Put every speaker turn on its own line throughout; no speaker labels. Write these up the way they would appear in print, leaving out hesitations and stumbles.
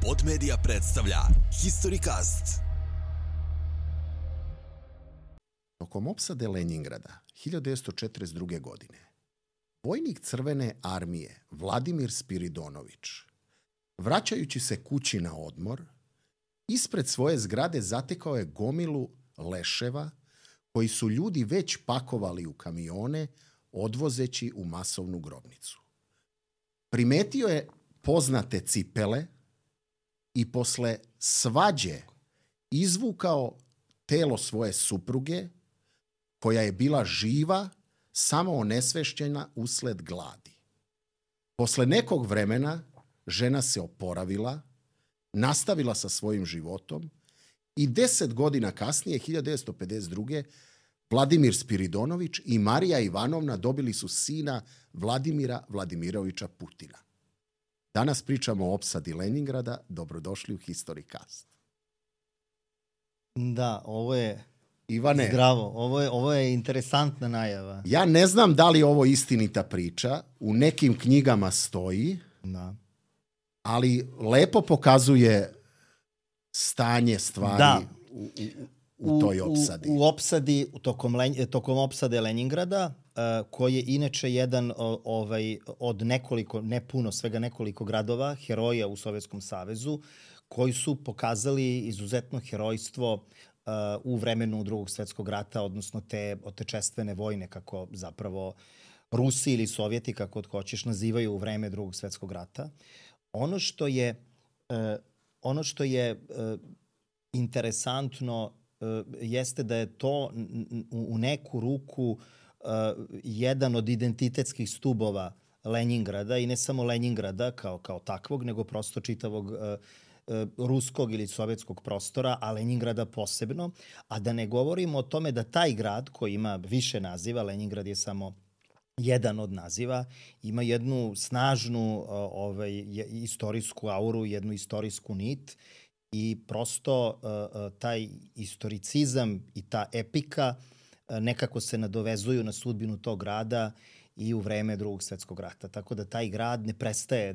Pod Media predstavlja Historicast.
Tokom opsade Lenjingrada 1942. godine vojnik Crvene armije Vladimir Spiridonović, vraćajući se kući na odmor, ispred svoje zgrade zatekao je gomilu leševa koji su ljudi već pakovali u kamione odvozeći u masovnu grobnicu. Primetio je poznate cipele i posle svađe izvukao telo svoje supruge koja je bila živa, samo onesvešćena usled gladi. Posle nekog vremena žena se oporavila, nastavila sa svojim životom i 10 godina kasnije, 1952. Vladimir Spiridonović i Marija Ivanovna dobili su sina Vladimira Vladimirovića Putina. Danas pričamo o opsadi Lenjingrada. Dobrodošli u Historicast.
Da, ovo je
Ivane,
zdravo. Ovo je interesantna najava.
ja ne znam da li je ovo istinita priča. U nekim knjigama stoji,
Da.
ali lepo pokazuje stanje stvari
Da.
u toj opsadi.
U opsadi, tokom opsade Lenjingrada, koji je inače jedan od nekoliko, ne puno, svega nekoliko gradova, heroja u Sovjetskom savezu, koji su pokazali izuzetno herojstvo u vremenu Drugog svjetskog rata, odnosno te otečestvene vojne, kako zapravo Rusi ili Sovjeti, kako hoćeš, nazivaju u vreme Drugog svjetskog rata. Ono što je interesantno jeste da je to u neku ruku jedan od identitetskih stubova Lenjingrada, i ne samo Lenjingrada kao takvog, nego prosto čitavog ruskog ili sovjetskog prostora, a Lenjingrada posebno. A da ne govorimo o tome da taj grad, koji ima više naziva, Lenjingrad je samo jedan od naziva, ima jednu snažnu istorijsku auru, jednu istorijsku nit, i prosto taj istoricizam i ta epika nekako se nadovezuju na sudbinu tog grada i u vreme Drugog svjetskog rata. Tako da taj grad ne prestaje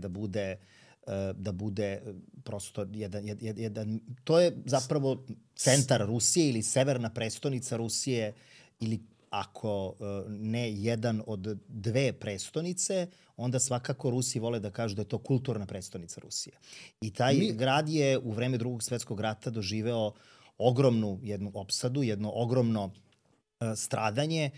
da bude prosto jedan... To je zapravo centar Rusije ili severna prestonica Rusije, ili ako ne jedan od dve prestonice, onda svakako Rusi vole da kažu da je to kulturna prestonica Rusije. I taj grad je u vreme Drugog svjetskog rata doživeo ogromnu jednu opsadu, jedno ogromno stradanje,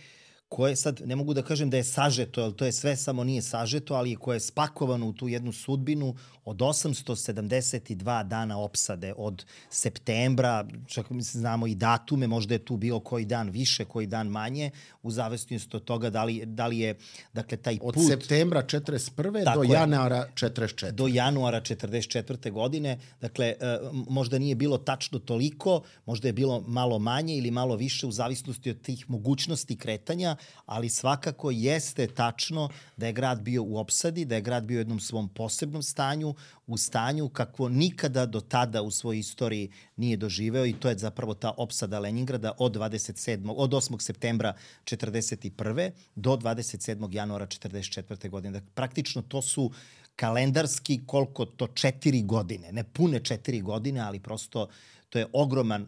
koje sad ne mogu da kažem da je sažeto, jer to je sve samo nije sažeto, ali koje je spakovano u tu jednu sudbinu od 872 dana opsade, od septembra, čak znamo i datume, možda je tu bio koji dan više, koji dan manje, u zavisnosti od toga da li je, dakle, taj put...
Od septembra 1941. do januara 1944.
Do januara 1944. godine. Dakle, možda nije bilo tačno toliko, možda je bilo malo manje ili malo više, u zavisnosti od tih mogućnosti kretanja, ali svakako jeste tačno da je grad bio u opsadi, da je grad bio u jednom svom posebnom stanju, u stanju kakvo nikada do tada u svojoj istoriji nije doživeo, i to je zapravo ta opsada Lenjingrada od 8. septembra 1941. do 27. januara 1944. godine. Dakle, praktično to su kalendarski koliko to 4 godine, ne pune 4 godine, ali prosto to je ogroman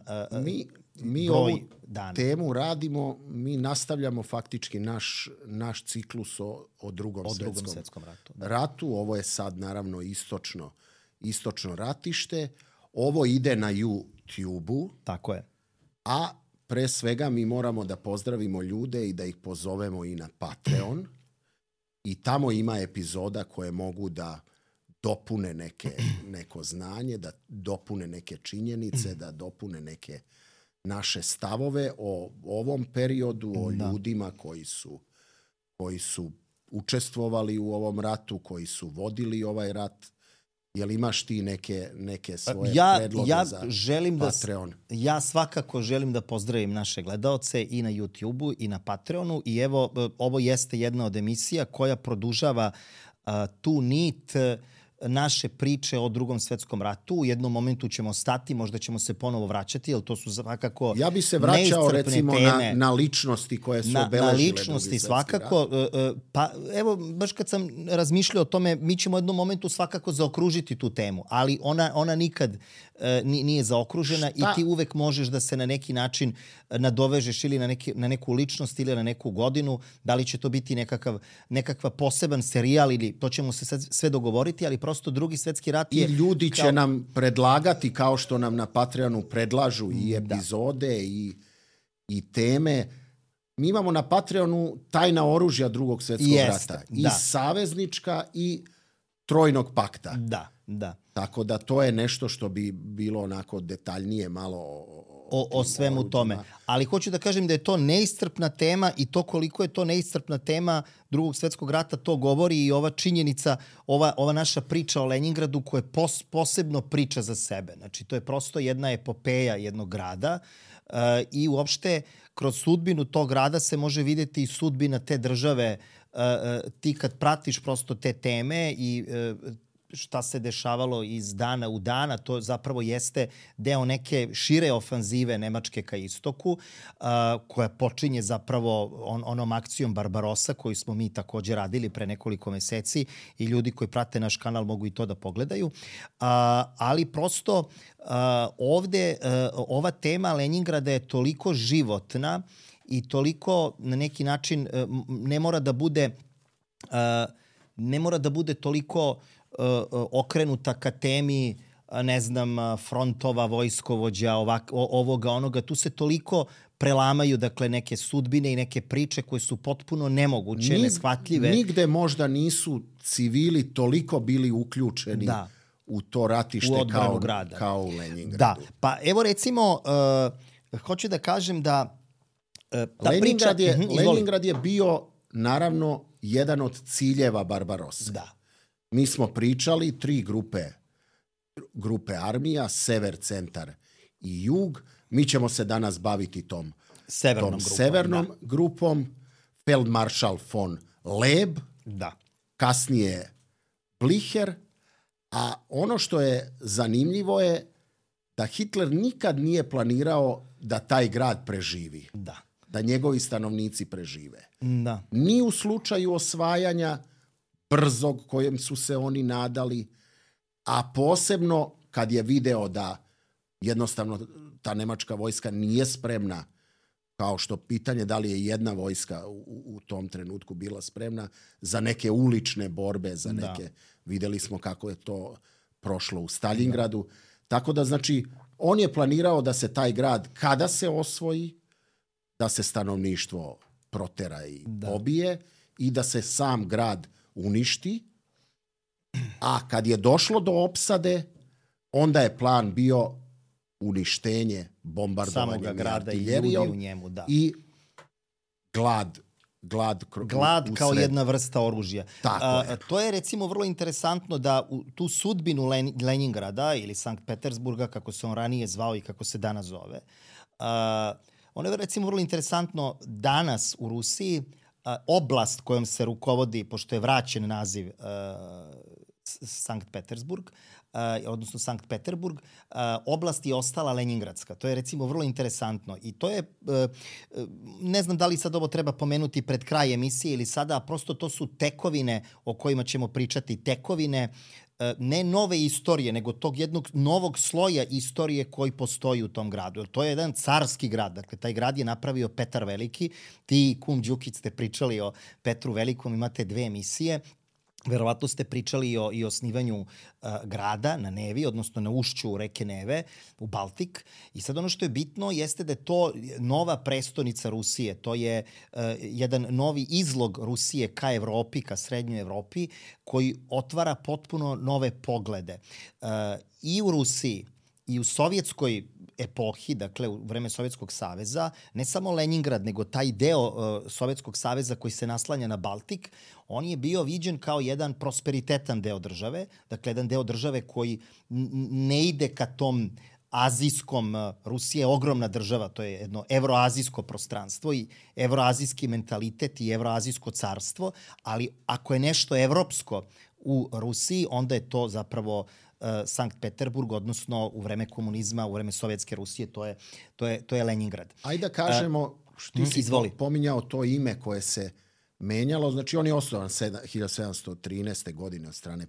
Mi
broj
ovu
dana.
temu radimo, mi nastavljamo faktički naš ciklus o drugom svjetskom
ratu.
ratu. Ovo je sad naravno istočno ratište. Ovo ide na YouTube-u.
Tako je.
A pre svega mi moramo da pozdravimo ljude i da ih pozovemo i na Patreon. I tamo ima epizoda koje mogu da dopune neko znanje, da dopune neke činjenice, da dopune neke naše stavove o ovom periodu, o ljudima koji su učestvovali u ovom ratu, koji su vodili ovaj rat. Jel imaš ti neke svoje predloge za Patreon?
Ja svakako želim da pozdravim naše gledaoce i na YouTube-u i na Patreonu, i evo, ovo jeste jedna od emisija koja produžava tu nit naše priče o Drugom svetskom ratu. U jednom momentu ćemo stati, možda ćemo se ponovo vraćati, jer to su svakako
ja bi se vraćao recimo na ličnosti koje su obeležile
na ličnosti svakako. Pa evo, baš kad sam razmišljao o tome, mi ćemo u jednom momentu svakako zaokružiti tu temu, ali ona nikad nije zaokružena i ti uvek možeš da se na neki način nadovežeš ili na neku ličnost ili na neku godinu. Da li će to biti nekakav poseban serijal ili to ćemo se sad sve dogovoriti, ali prosto Drugi svetski rat je...
I ljudi će nam predlagati, kao što nam na Patreonu predlažu i epizode i teme. Mi imamo na Patreonu tajna oružja Drugog svjetskog rata. I saveznička i trojnog pakta.
Da.
Tako da to je nešto što bi bilo onako detaljnije malo
o svemu tome. Ali hoću da kažem da je to neiscrpna tema i to koliko je to neiscrpna tema Drugog svjetskog rata, to govori i ova činjenica, ova naša priča o Leningradu koja je posebno priča za sebe. Znači, to je prosto jedna epopeja jednog grada i uopšte kroz sudbinu tog grada se može vidjeti i sudbina te države. Ti kad pratiš prosto te teme i šta se dešavalo iz dana u dana, to zapravo jeste deo neke šire ofanzive Nemačke ka istoku, koja počinje zapravo onom akcijom Barbarossa koju smo mi također radili pre nekoliko meseci i ljudi koji prate naš kanal mogu i to da pogledaju. Ali prosto ovde ova tema Leningrada je toliko životna i toliko na neki način ne mora da bude toliko okrenuta ka temi, ne znam, frontova, vojskovođa, ovoga, onoga. Tu se toliko prelamaju, dakle, neke sudbine i neke priče koje su potpuno nemoguće, neshvatljive.
Nigde možda nisu civili toliko bili uključeni u to ratište kao u Leningradu.
Da, pa evo recimo, hoću da kažem da
Leningrad je bio, naravno, jedan od ciljeva Barbarosse.
Da.
Mi smo pričali 3 grupe armija, sever, centar i jug. Mi ćemo se danas baviti tom severnom grupom. Feldmaršal von Leeb, kasnije Blicher. A ono što je zanimljivo je da Hitler nikad nije planirao da taj grad preživi. Da njegovi stanovnici prežive. Ni u slučaju osvajanja brzog kojem su se oni nadali, a posebno kad je video da jednostavno ta nemačka vojska nije spremna, kao što pitanje da li je jedna vojska u tom trenutku bila spremna za neke ulične borbe, za neke, videli smo kako je to prošlo u Stalingradu. Tako da, znači, on je planirao da se taj grad, kada se osvoji, da se stanovništvo protera i pobije i da se sam grad uništi, a kad je došlo do opsade, onda je plan bio uništenje, bombardovanje
grada i ljudi u njemu,
i glad
kao jedna vrsta oružja. To je recimo vrlo interesantno da u tu sudbinu Leningrada ili Sankt Petersburga, kako se on ranije zvao i kako se danas zove, ono je recimo vrlo interesantno danas u Rusiji. Oblast kojom se rukovodi, pošto je vraćen naziv Sankt Petersburg, odnosno Sankt Peterburg, oblast je ostala Leningradska. To je recimo vrlo interesantno. I to je, ne znam da li sad ovo treba pomenuti pred kraj emisije ili sada, a prosto to su tekovine o kojima ćemo pričati. Tekovine ne nove istorije, nego tog jednog novog sloja istorije koji postoji u tom gradu. To je jedan carski grad. Dakle, taj grad je napravio Petar Veliki. Ti, Kum Đukić, ste pričali o Petru Velikom, imate 2 emisije. Verovatno ste pričali i o osnivanju grada na Nevi, odnosno na ušću reke Neve u Baltik. I sad ono što je bitno jeste da je to nova prestonica Rusije. To je jedan novi izlog Rusije ka Evropi, ka srednjoj Evropi, koji otvara potpuno nove poglede. I u Rusiji i u sovjetskoj epohi, dakle u vreme Sovjetskog saveza, ne samo Leningrad, nego taj deo Sovjetskog saveza koji se naslanja na Baltik, on je bio viđen kao jedan prosperitetan deo države, dakle jedan deo države koji ne ide ka tom azijskom, Rusija je ogromna država, to je jedno evroazijsko prostranstvo i evroazijski mentalitet i evroazijsko carstvo, ali ako je nešto evropsko u Rusiji, onda je to zapravo Sankt Peterburg, odnosno u vreme komunizma, u vreme Sovjetske Rusije, to je Leningrad.
Ajde da kažemo, ti si pominjao to ime koje se menjalo, znači on je osnovan 1713. godine od strane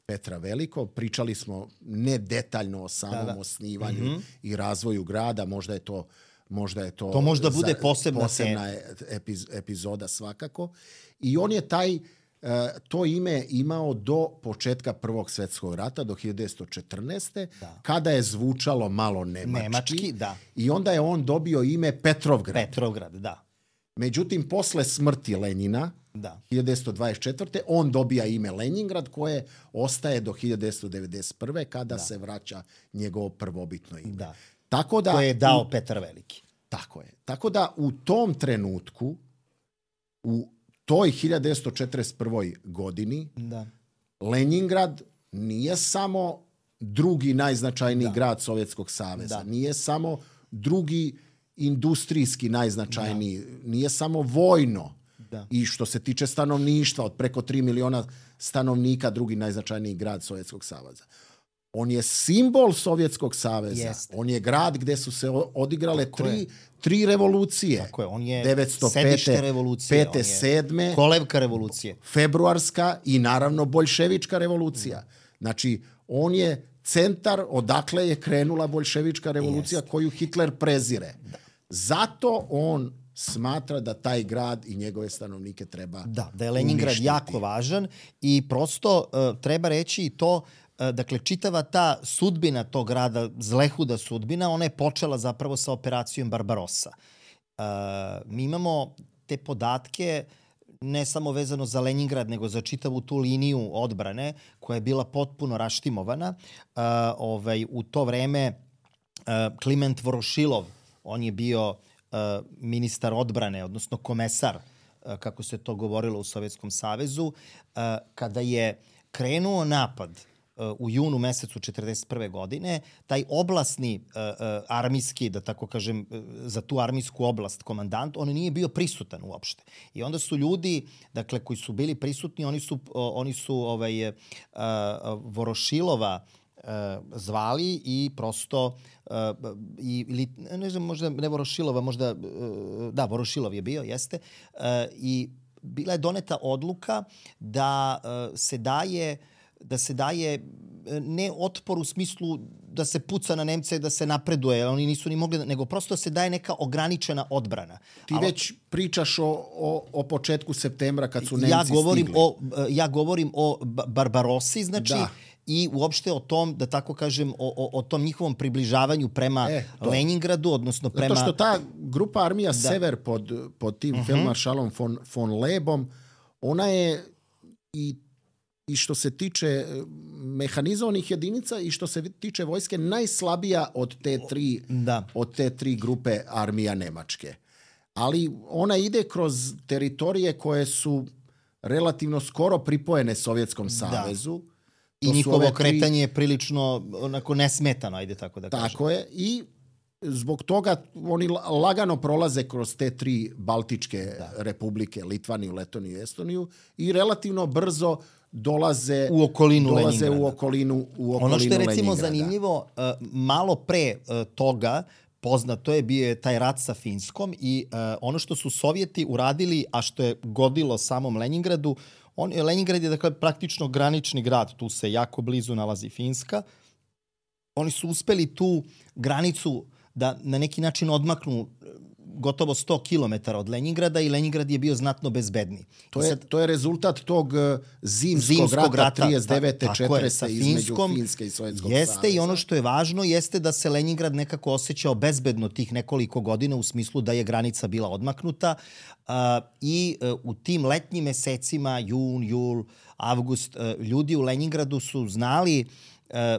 Petra Velikog. Pričali smo ne detaljno o samom osnivanju i razvoju grada, možda je to možda bude posebna epizoda svakako. I on je to ime imao do početka Prvog svjetskog rata, do 1914. Kada je zvučalo malo nemački. I onda je on dobio ime Petrovgrad. Međutim, posle smrti Lenjina, 1924. on dobija ime Leningrad, koje ostaje do 1991. kada se vraća njegovo prvobitno ime. Koje je dao Petar Veliki. Tako je. Tako da u tom trenutku, u toj 1941. godini, Leningrad nije samo drugi najznačajniji grad Sovjetskog saveza, nije samo drugi industrijski najznačajniji, nije samo vojno i što se tiče stanovništva, od preko 3 miliona stanovnika, drugi najznačajniji grad Sovjetskog saveza. On je simbol Sovjetskog saveza. On je grad gdje su se odigrale tri revolucije.
Tako je. On je
905.
sedište revolucije.
5. 7.
Kolevka revolucije.
Februarska i naravno boljševička revolucija. Znači, on je centar odakle je krenula boljševička revolucija koju Hitler prezire. Zato on smatra da taj grad i njegove stanovnike treba
da je Leningrad jako važan i prosto treba reći i to. Dakle, čitava ta sudbina tog grada, zlehuda sudbina, ona je počela zapravo sa operacijom Barbarossa. Mi imamo te podatke ne samo vezano za Leningrad, nego za čitavu tu liniju odbrane koja je bila potpuno raštimovana. U to vreme Kliment Vorošilov, on je bio ministar odbrane, odnosno komesar, kako se to govorilo u Sovjetskom savezu, kada je krenuo napad u junu mesecu 1941. godine, taj oblasni armijski, da tako kažem, za tu armijsku oblast komandant, on nije bio prisutan uopšte. I onda su ljudi, dakle, koji su bili prisutni, oni su Vorošilova zvali i prosto ili ne znam, možda ne Vorošilova, možda Vorošilov je bio, jeste, i bila je doneta odluka da se daje ne otpor u smislu da se puca na Nemce, da se napreduje, oni nisu ni mogli, nego prosto se daje neka ograničena odbrana.
Ti već pričaš o početku septembra kad su Nemci stigli.
Ja govorim o Barbarossi, znači, i uopšte o tom, da tako kažem, o tom njihovom približavanju prema Leningradu, odnosno prema...
Zato što ta grupa armija Sever pod tim feldmaršalom von Lebom, ona je i što se tiče mehanizovanih jedinica i što se tiče vojske najslabija od te tri grupe armija Nemačke. Ali ona ide kroz teritorije koje su relativno skoro pripojene Sovjetskom savezu.
I njihovo kretanje je prilično onako nesmetano, ajde tako da kažem.
Tako je. I zbog toga oni lagano prolaze kroz te tri baltičke republike, Litvaniju, Letoniju i Estoniju, i relativno brzo dolaze
u okolinu
Ono
što je recimo zanimljivo, malo pre toga poznato je bio taj rat sa Finskom i ono što su Sovjeti uradili, a što je godilo samom Leningradu, Leningrad je dakle praktično granični grad, tu se jako blizu nalazi Finska. Oni su uspeli tu granicu da na neki način odmaknu gotovo 100 km od Leningrada i Leningrad je bio znatno bezbedniji.
To je rezultat tog zimskog rata 39-40 između Finske i Sovjetskog saveza.
Jeste, i ono što je važno jeste da se Leningrad nekako osjećao bezbedno tih nekoliko godina u smislu da je granica bila odmaknuta i u tim letnjim mesecima, jun, jul, avgust, ljudi u Leningradu su znali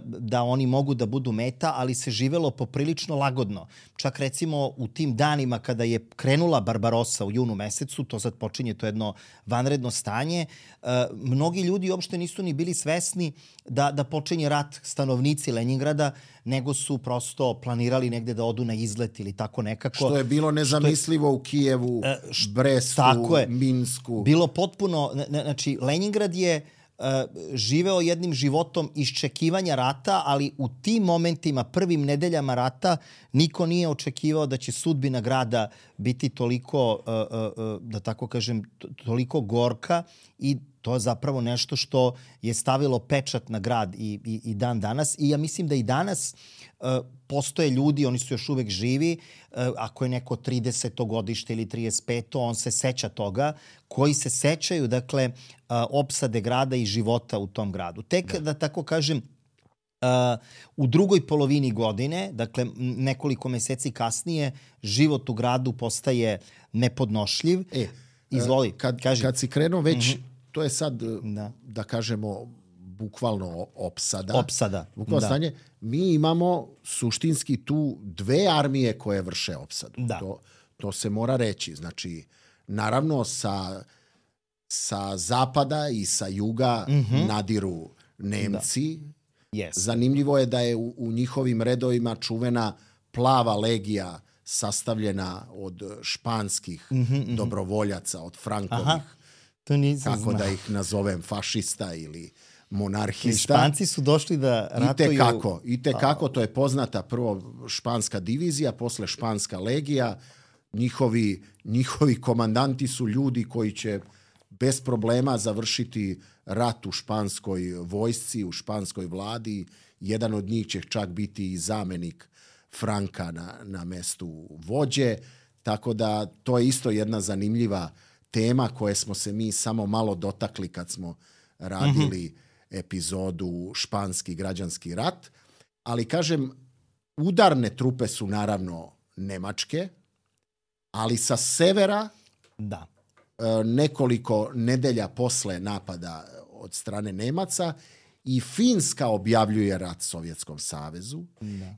da oni mogu da budu meta, ali se živelo poprilično lagodno. Čak recimo u tim danima kada je krenula Barbarossa u junu mesecu, to sad počinje to jedno vanredno stanje, mnogi ljudi uopšte nisu ni bili svesni da počinje rat, stanovnici Leningrada, nego su prosto planirali negde da odu na izlet ili tako nekako.
Što je bilo nezamislivo u Kijevu, Brestu, Minsku.
Bilo potpuno, znači Leningrad je živeo jednim životom iščekivanja rata, ali u tim momentima, prvim nedeljama rata, niko nije očekivao da će sudbina grada biti toliko, da tako kažem, toliko gorka i to je zapravo nešto što je stavilo pečat na grad i dan danas. I ja mislim da i danas postoje ljudi, oni su još uvek živi, ako je neko 30. godište ili 35. on se seća toga, koji se sećaju, dakle, opsade grada i života u tom gradu. Tek, da tako kažem, u drugoj polovini godine, dakle nekoliko meseci kasnije, život u gradu postaje nepodnošljiv. Izvoli, kaži.
Kad si krenuo već, to je sad, da kažemo, bukvalno opsada. Bukvalno stanje. Mi imamo suštinski tu dve armije koje vrše opsadu. To se mora reći. Znači, naravno sa zapada i sa juga nadiru Nemci.
Yes.
Zanimljivo je da je u njihovim redovima čuvena plava legija sastavljena od španskih dobrovoljaca, od Frankovih.
To nisam
kako
znao.
Da ih nazovem, fašista ili monarhista.
I Španci su došli da ratuju...
I tekako, to je poznata prvo španska divizija, posle španska legija. Njihovi komandanti su ljudi koji će bez problema završiti rat u španskoj vojsci, u španskoj vladi. Jedan od njih će čak biti i zamenik Franka na mestu vođe. Tako da to je isto jedna zanimljiva tema koje smo se mi samo malo dotakli kad smo radili epizodu Španski građanski rat. Ali kažem, udarne trupe su naravno nemačke, ali sa severa nekoliko nedelja posle napada od strane Nemaca i Finska objavljuje rat Sovjetskom savezu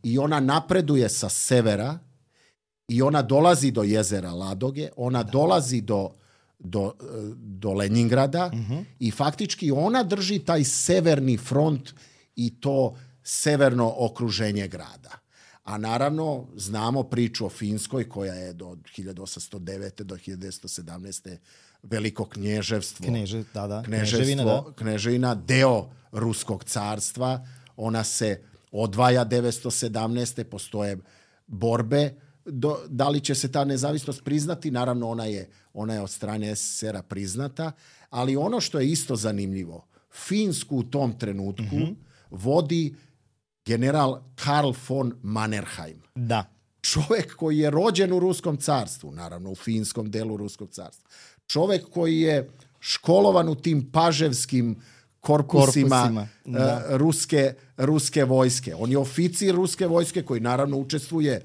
i ona napreduje sa severa i ona dolazi do jezera Ladoge, ona dolazi do Leningrada i faktički ona drži taj severni front i to severno okruženje grada. A naravno, znamo priču o Finskoj koja je do 1809. do 1917. veliko knježevstvo. Kneževina, deo Ruskog carstva. Ona se odvaja 1917. Postoje borbe. Da li će se ta nezavisnost priznati? Naravno, ona je od strane SSR-a priznata. Ali ono što je isto zanimljivo, Finsku u tom trenutku vodi general Karl von Mannerheim. Čovek koji je rođen u Ruskom carstvu, naravno u finskom delu Ruskog carstva. Čovek koji je školovan u tim paževskim korpusima ruske vojske. On je oficir ruske vojske koji naravno učestvuje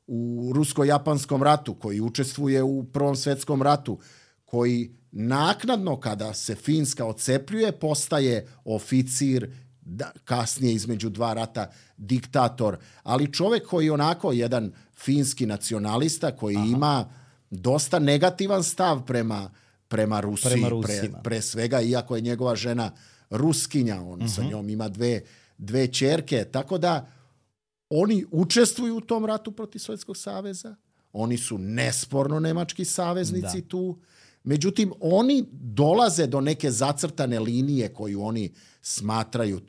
u rusko-japanskom ratu, koji učestvuje u Prvom svetskom ratu, koji naknadno kada se Finska odcepljuje postaje oficir, kasnije između dva rata diktator, ali čovek koji je onako jedan finski nacionalista koji ima dosta negativan stav prema Rusiji, pre svega, iako je njegova žena Ruskinja, on sa njom ima dve ćerke, tako da oni učestvuju u tom ratu protiv Sovjetskog saveza, oni su nesporno nemački saveznici tu, međutim oni dolaze do neke zacrtane linije koju oni smatraju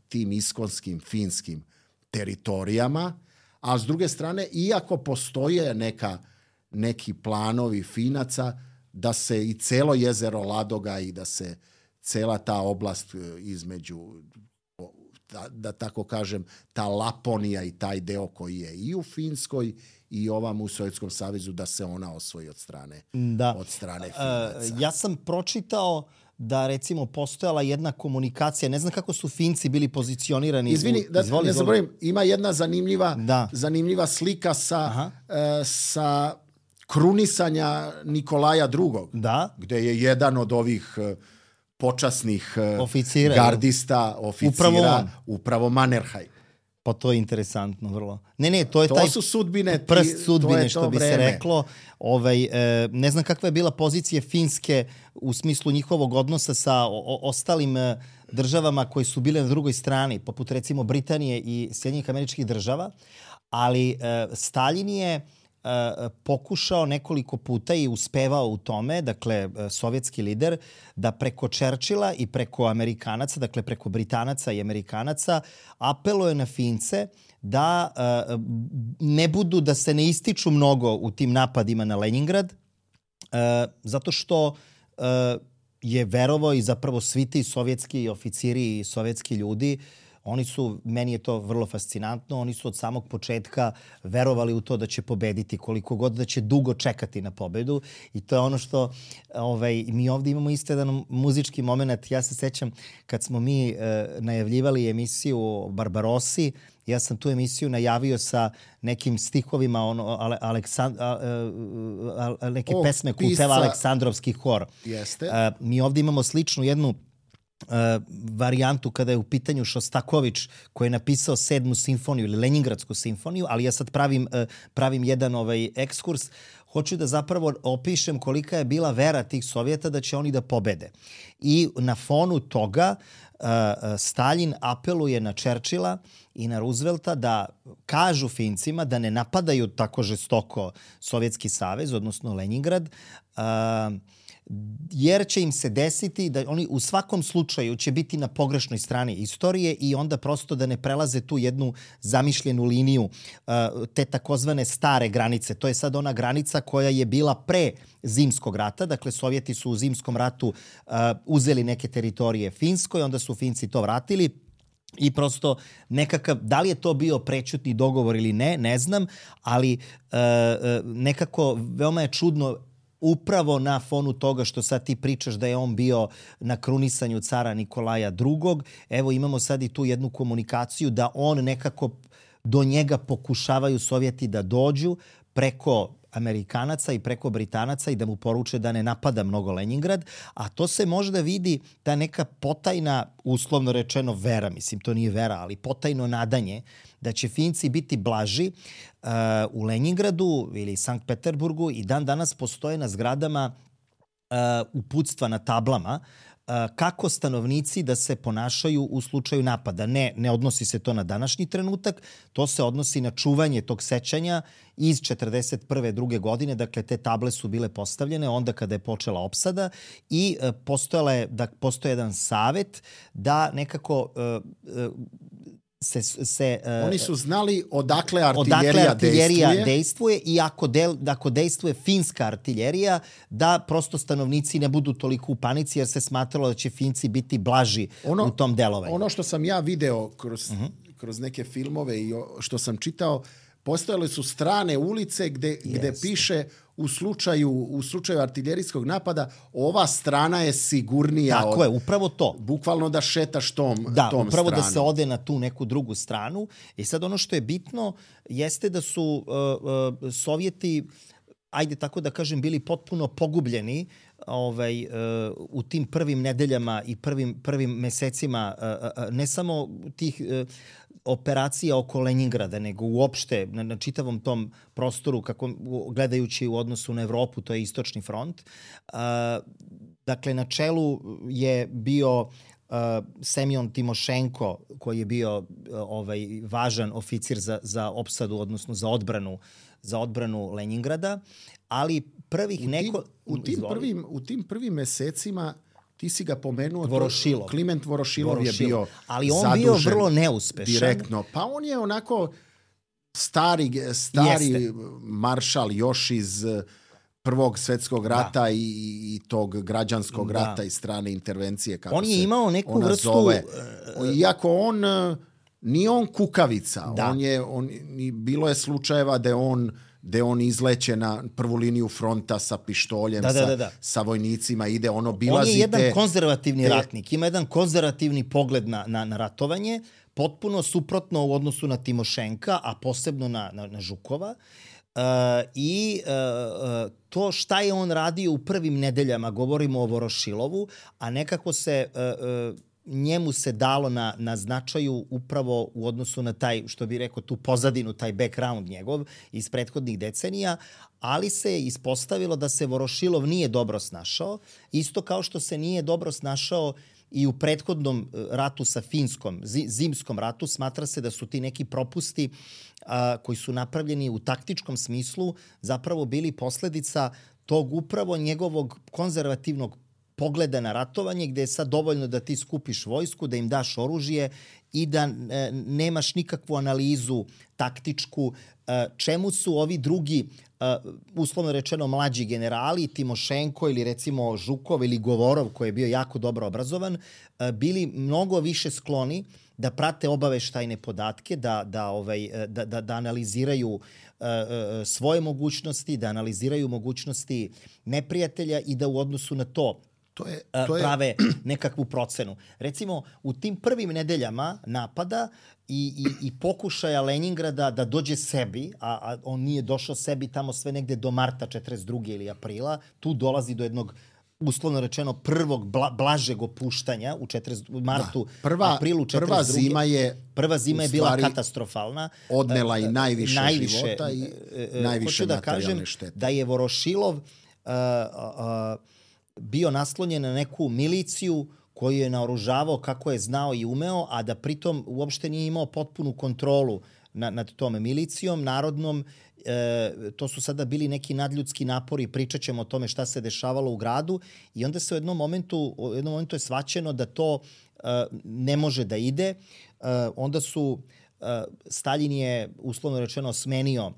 tim iskonskim finskim teritorijama, a s druge strane, iako postoje neki planovi Finaca da se i celo jezero Ladoga i da se cela ta oblast između, da tako kažem, ta Laponija i taj deo koji je i u Finskoj i ovam u Sovjetskom savezu, da se ona osvoji od strane Finaca.
Ja sam pročitao da, recimo, postojala jedna komunikacija, ne znam kako su Finci bili pozicionirani.
Izvini, ne zaboravim, ima jedna zanimljiva slika sa krunisanja Nikolaja II. Gde je jedan od ovih počasnih gardista, oficira, upravo Mannerheim.
Pa to je interesantno vrlo. To je taj
su sudbine,
prst sudbine, što bi se reklo. Ne znam kakva je bila pozicija Finske u smislu njihovog odnosa sa ostalim državama koji su bile na drugoj strani, poput recimo Britanije i Sjedinjenih Američkih Država, ali Staljin je pokušao nekoliko puta i uspevao u tome, dakle, sovjetski lider, da preko Churchilla i preko Amerikanaca, dakle, preko Britanaca i Amerikanaca, apeluje na Fince da ne budu, da se ne ističu mnogo u tim napadima na Leningrad, zato što je verovao i zapravo svi ti sovjetski oficiri i sovjetski ljudi, oni su, meni je to vrlo fascinantno, oni su od samog početka verovali u to da će pobediti, koliko god da će dugo čekati na pobedu. I to je ono što mi ovdje imamo isto jedan muzički moment. Ja se sećam kad smo mi najavljivali emisiju o Barbarossi, ja sam tu emisiju najavio sa nekim stihovima neke pesme Kuteva Aleksandrovski hor.
Jeste.
Mi ovdje imamo sličnu jednu varijantu kada je u pitanju Šostaković koji je napisao 7. simfoniju ili Leningradsku simfoniju, ali ja sad pravim jedan ekskurs. Hoću da zapravo opišem kolika je bila vera tih Sovjeta da će oni da pobede. I na fonu toga Stalin apeluje na Churchilla i na Roosevelta da kažu Fincima da ne napadaju tako žestoko Sovjetski savez, odnosno Leningrad, jer će im se desiti da oni u svakom slučaju će biti na pogrešnoj strani istorije i onda prosto da ne prelaze tu jednu zamišljenu liniju te takozvane stare granice. To je sad ona granica koja je bila pre Zimskog rata. Dakle, Sovjeti su u Zimskom ratu uzeli neke teritorije Finskoj, onda su Finci to vratili. I prosto nekakav, da li je to bio prećutni dogovor ili ne, ne znam, ali nekako veoma je čudno upravo na fonu toga što sad ti pričaš da je on bio na krunisanju cara Nikolaja II. Evo imamo sad i tu jednu komunikaciju da on nekako do njega pokušavaju Sovjeti da dođu preko Amerikanaca i preko Britanaca i da mu poruče da ne napada mnogo Leningrad, a to se možda vidi ta neka potajna, uslovno rečeno vera, mislim to nije vera, ali potajno nadanje da će Finci biti blaži u Leningradu ili Sankt Peterburgu i dan danas postoje na zgradama uputstva na tablama kako stanovnici da se ponašaju u slučaju napada. Ne odnosi se to na današnji trenutak, to se odnosi na čuvanje tog sećanja iz 1941. druge godine. Dakle, te table su bile postavljene onda kada je počela opsada i postoje jedan savet da nekako
oni su znali odakle artiljerija
dejstvuje i ako dejstvuje finska artiljerija, da prosto stanovnici ne budu toliko u panici jer se smatralo da će Finci biti blaži u tom delovanju.
Ono što sam ja video kroz neke filmove i što sam čitao, postojale su strane ulice gde piše u slučaju artiljerijskog napada ova strana je sigurnija.
Tako je, upravo to.
Bukvalno da šetaš tom stranom.
Upravo da se ode na tu neku drugu stranu. I sad ono što je bitno jeste da su Sovjeti, ajde tako da kažem, bili potpuno pogubljeni u tim prvim nedeljama i prvim mesecima, ne samo tih operacija oko Leningrada, nego uopšte na čitavom tom prostoru, gledajući u odnosu na Evropu, to je Istočni front. Dakle, na čelu je bio Semjon Timošenko, koji je bio važan oficir za opsadu, odnosno za odbranu Leningrada, ali
u tim prvim mesecima ti si ga pomenuo,
Vorošilov.
Kliment Vorošilov je bio
ali on bio vrlo neuspešan.
Direktno. Pa on je onako stari maršal još iz Prvog svjetskog rata i tog građanskog rata i strane intervencije. Kako
on je imao neku vrstu...
Zove. Iako on nije on kukavica. Bilo je slučajeva da on izleće na prvu liniju fronta sa pištoljem, sa vojnicima, ide obilazite.
On je jedan konzervativni ratnik, ima jedan konzervativni pogled na ratovanje, potpuno suprotno u odnosu na Timošenka, a posebno na Žukova. To šta je on radio u prvim nedeljama, govorimo o Vorošilovu, a nekako se... njemu se dalo na značaju upravo u odnosu na taj, što bi rekao, tu pozadinu, taj background njegov iz prethodnih decenija, ali se ispostavilo da se Vorošilov nije dobro snašao, isto kao što se nije dobro snašao i u prethodnom ratu sa Finskom, zimskom ratu, smatra se da su ti neki propusti koji su napravljeni u taktičkom smislu zapravo bili posledica tog upravo njegovog konzervativnog pogleda na ratovanje, gde je sad dovoljno da ti skupiš vojsku, da im daš oružje i da nemaš nikakvu analizu taktičku, čemu su ovi drugi, uslovno rečeno mlađi generali, Timošenko ili recimo Žukov ili Govorov, koji je bio jako dobro obrazovan, bili mnogo više skloni da prate obaveštajne podatke, da analiziraju svoje mogućnosti, da analiziraju mogućnosti neprijatelja i da u odnosu na to prave nekakvu procenu. Recimo, u tim prvim nedeljama napada i pokušaja Leningrada da dođe sebi, a on nije došao sebi tamo sve negde do marta 42. ili aprila, tu dolazi do jednog uslovno rečeno prvog blažeg opuštanja u martu, aprilu 42. Prva zima je bila katastrofalna.
Odnela i najviše života i najviše materijalne štete.
Da je Vorošilov bio naslonjen na neku miliciju koju je naoružavao kako je znao i umeo, a da pritom uopšte nije imao potpunu kontrolu nad tom milicijom narodnom. To su sada bili neki nadljudski napori, pričat ćemo o tome šta se dešavalo u gradu i onda se u jednom momentu je shvaćeno da to ne može da ide. Onda Staljin je uslovno rečeno smenio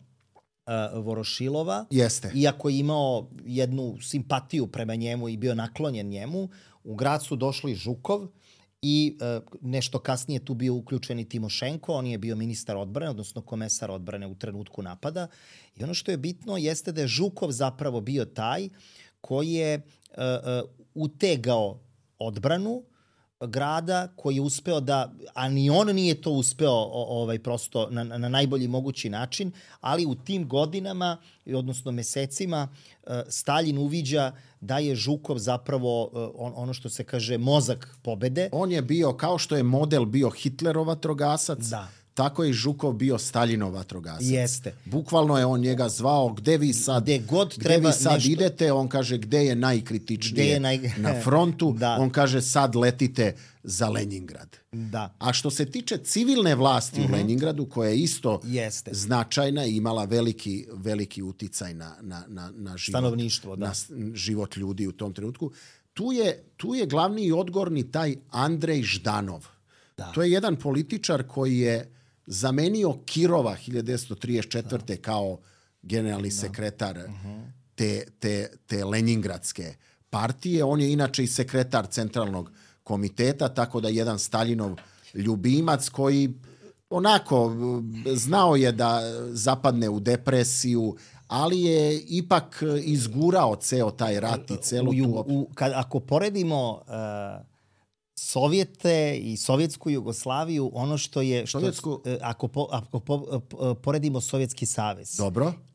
Vorošilova.
Jeste.
Iako je imao jednu simpatiju prema njemu i bio naklonjen njemu, u grad su došli Žukov i nešto kasnije tu bio uključen i Timošenko, on je bio ministar odbrane, odnosno komesar odbrane u trenutku napada. I ono što je bitno jeste da je Žukov zapravo bio taj koji je utegao odbranu grada, koji je uspeo da, a ni on nije to uspeo prosto na najbolji mogući način, ali u tim godinama, odnosno mesecima, Staljin uviđa da je Žukov zapravo ono što se kaže mozak pobede.
On je bio, kao što je model bio Hitlerov vatrogasac, tako je i Žukov bio Staljinov vatrogasac.
Jeste.
Bukvalno je on njega zvao, gde vi sad idete, on kaže gde je najkritičnije na frontu, on kaže sad letite za Leningrad.
Da.
A što se tiče civilne vlasti u Leningradu, koja je isto značajna i imala veliki uticaj na život,
stanovništvo,
na život ljudi u tom trenutku, tu je glavni i odgovorni taj Andrej Ždanov. Da. To je jedan političar koji je zamenio Kirova 1934. kao generalni sekretar te Leningradske partije. On je inače i sekretar centralnog komiteta, tako da jedan Staljinov ljubimac koji onako znao je da zapadne u depresiju, ali je ipak izgurao ceo taj rat i celu tu...
Ako poredimo... Sovjete i sovjetsku Jugoslaviju, ono što je... Ako poredimo Sovjetski savez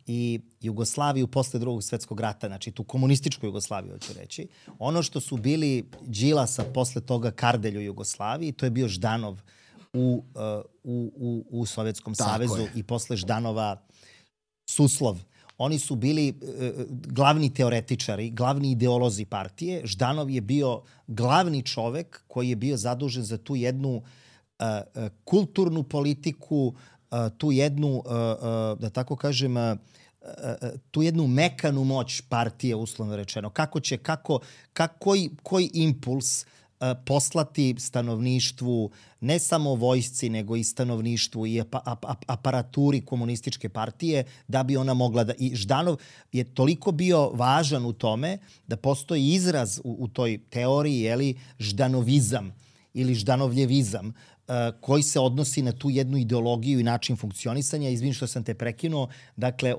i Jugoslaviju posle Drugog svjetskog rata, znači tu komunističku Jugoslaviju, hoću reći, ono što su bili Đilasa posle toga Kardelj u Jugoslaviji, to je bio Ždanov u Sovjetskom savezu i posle Ždanova Suslov. Oni su bili glavni teoretičari, glavni ideolozi partije. Ždanov je bio glavni čovek koji je bio zadužen za tu jednu kulturnu politiku, tu jednu, da tako kažem, tu jednu mekanu moć partije, uslovno rečeno. Koji impuls poslati stanovništvu, ne samo vojsci, nego i stanovništvu i aparaturi komunističke partije, da bi ona mogla da... I Ždanov je toliko bio važan u tome da postoji izraz u toj teoriji, ždanovizam ili ždanovljevizam, koji se odnosi na tu jednu ideologiju i način funkcionisanja. Izvini što sam te prekinuo. Dakle,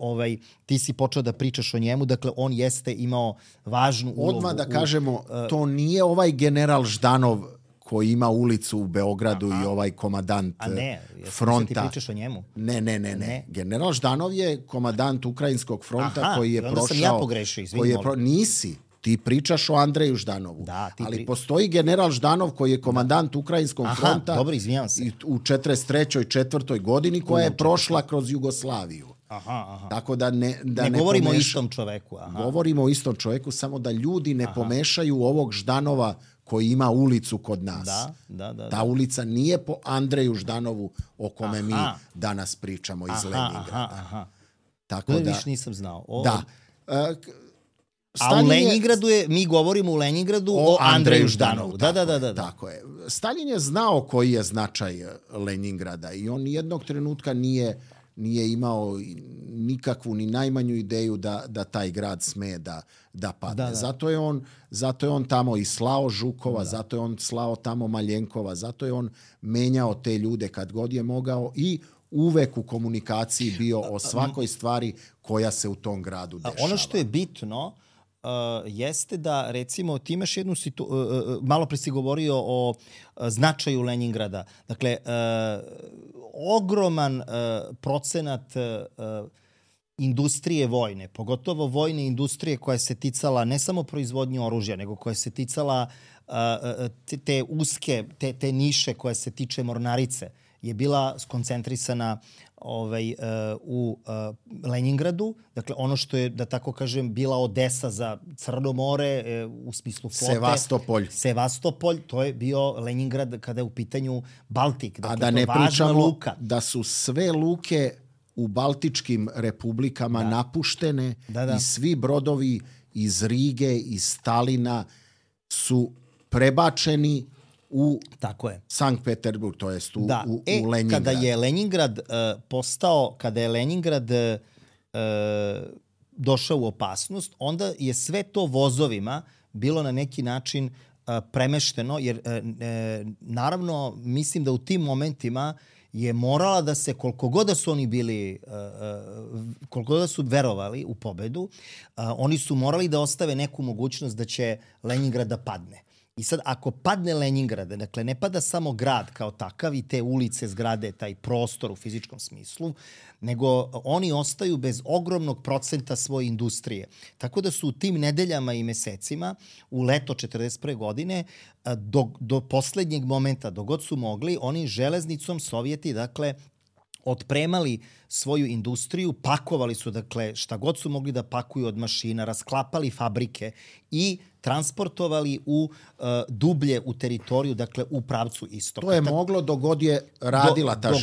ti si počeo da pričaš o njemu. Dakle, on jeste imao važnu ulogu.
Odmah da kažemo, to nije ovaj general Ždanov koji ima ulicu u Beogradu i ovaj komadant fronta.
A ne, ti pričaš o njemu?
Ne. General Ždanov je komadant Ukrajinskog fronta koji je prošao...
Onda sam ja pogrešio, izvini.
Nisi. Ti pričaš o Andreju Ždanovu. Ali postoji general Ždanov koji je komandant Ukrajinskog fronta u 43. 4. godini koja je prošla kroz Jugoslaviju. Tako da ne
govorimo o istom čoveku.
Govorimo o istom čoveku, samo da ljudi ne pomešaju ovog Ždanova koji ima ulicu kod nas.
Da.
Ta ulica nije po Andreju Ždanovu o kome mi danas pričamo iz Leningrada.
Tako da više nisam znao.
Da.
A u Leningradu mi govorimo u Leningradu o Andreju Ždanovu. Da.
Tako je. Stalin je znao koji je značaj Leningrada i on nijednog trenutka nije imao nikakvu ni najmanju ideju da taj grad sme da padne.
Da.
Zato je on tamo i slao Žukova, zato je on slao tamo Maljenkova, zato je on menjao te ljude kad god je mogao i uvek u komunikaciji bio o svakoj stvari koja se u tom gradu dešava.
Ono što je bitno jeste da, recimo, ti imaš jednu malo pre si govorio o značaju Leningrada. Dakle, ogroman procenat industrije vojne, pogotovo vojne industrije koja se ticala ne samo proizvodnje oružja, nego koja se ticala te uske, te niše koja se tiče mornarice, je bila skoncentrisana u Leningradu. Dakle, ono što je, da tako kažem, bila Odesa za Crno more u smislu flote. Sevastopolj, to je bio Leningrad kada je u pitanju Baltik. Dakle,
a da ne pričamo da su sve luke u Baltičkim republikama napuštene i svi brodovi iz Rige, iz Stalina su prebačeni u Sankt Peterburg, to jest u Leningrad.
Kada je Leningrad došao u opasnost, onda je sve to vozovima bilo na neki način premešteno, jer naravno mislim da u tim momentima je morala da se, koliko god da su oni bili, koliko god da su verovali u pobedu, oni su morali da ostave neku mogućnost da će Leningrad da padne. I sad, ako padne Leningrad, dakle, ne pada samo grad kao takav i te ulice, zgrade, taj prostor u fizičkom smislu, nego oni ostaju bez ogromnog procenta svoje industrije. Tako da su u tim nedeljama i mesecima, u leto 1941. godine, do poslednjeg momenta, dok god su mogli, oni železnicom, Sovjeti, dakle, otpremali svoju industriju, pakovali su, dakle, šta god su mogli da pakuju od mašina, rasklapali fabrike i transportovali dublje u teritoriju, dakle, u pravcu istoka.
To je moglo dok god je radila ta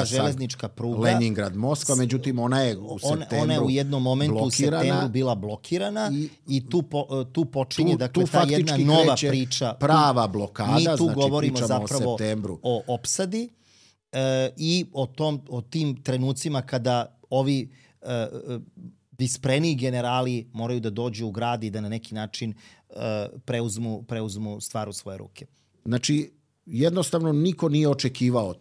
železnička pruga Leningrad-Moskva, međutim ona je u septembru
ona je u jednom momentu u septembru bila blokirana i tu počinje dakle, ta jedna nova priča.
Prava blokada,
mi tu
znači
govorimo
pričamo
zapravo
o septembru.
O opsadi i o tim trenucima kada ovi vispreniji generali moraju da dođu u grad i da na neki način preuzmu stvar u svoje ruke.
Znači, jednostavno niko nije očekivao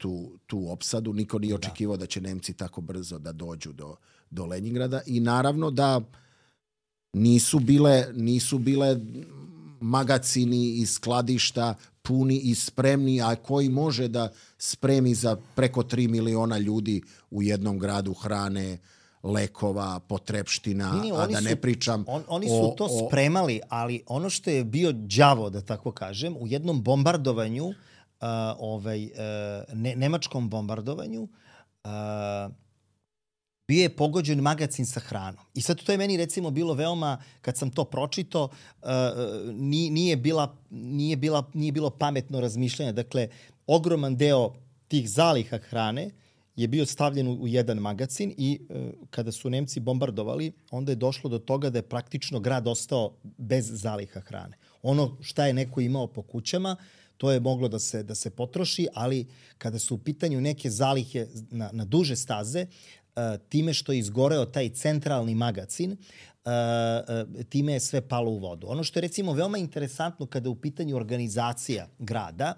tu opsadu, niko nije očekivao da će Nemci tako brzo da dođu do Leningrada i naravno da nisu bile magacini i skladišta puni i spremni, a koji može da spremi za preko 3 miliona ljudi u jednom gradu hrane, lekova, potrepština, a da ne pričam
Oni su to spremali, ali ono što je bio đavo, da tako kažem, u jednom bombardovanju, nemačkom bombardovanju, bio je pogođen magacin sa hranom. I sad to je meni recimo bilo veoma, kad sam to pročitao, nije bilo pametno razmišljanje. Dakle, ogroman deo tih zaliha hrane je bio stavljen u jedan magacin i kada su Nemci bombardovali, onda je došlo do toga da je praktično grad ostao bez zaliha hrane. Ono šta je neko imao po kućama, to je moglo da se potroši, ali kada su u pitanju neke zalihe na duže staze, time što je izgoreo taj centralni magacin, time je sve palo u vodu. Ono što je recimo veoma interesantno kada je u pitanju organizacija grada,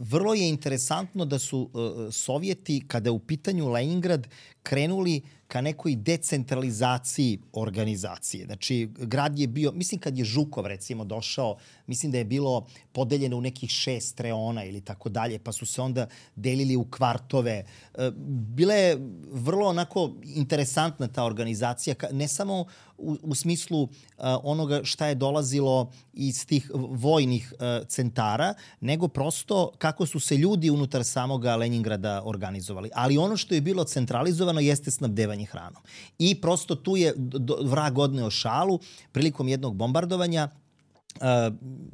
vrlo je interesantno da su Sovjeti, kada je u pitanju Leningrad, krenuli ka nekoj decentralizaciji organizacije. Znači, grad je bio, mislim kad je Žukov recimo došao, mislim da je bilo podeljeno u nekih 6 reona ili tako dalje, pa su se onda delili u kvartove. Bila je vrlo onako interesantna ta organizacija, ne samo u smislu onoga šta je dolazilo iz tih vojnih centara, nego prosto kako su se ljudi unutar samoga Leningrada organizovali. Ali ono što je bilo centralizovano jeste snabdevanje hranom. I prosto tu je vrag odneo šalu prilikom jednog bombardovanja.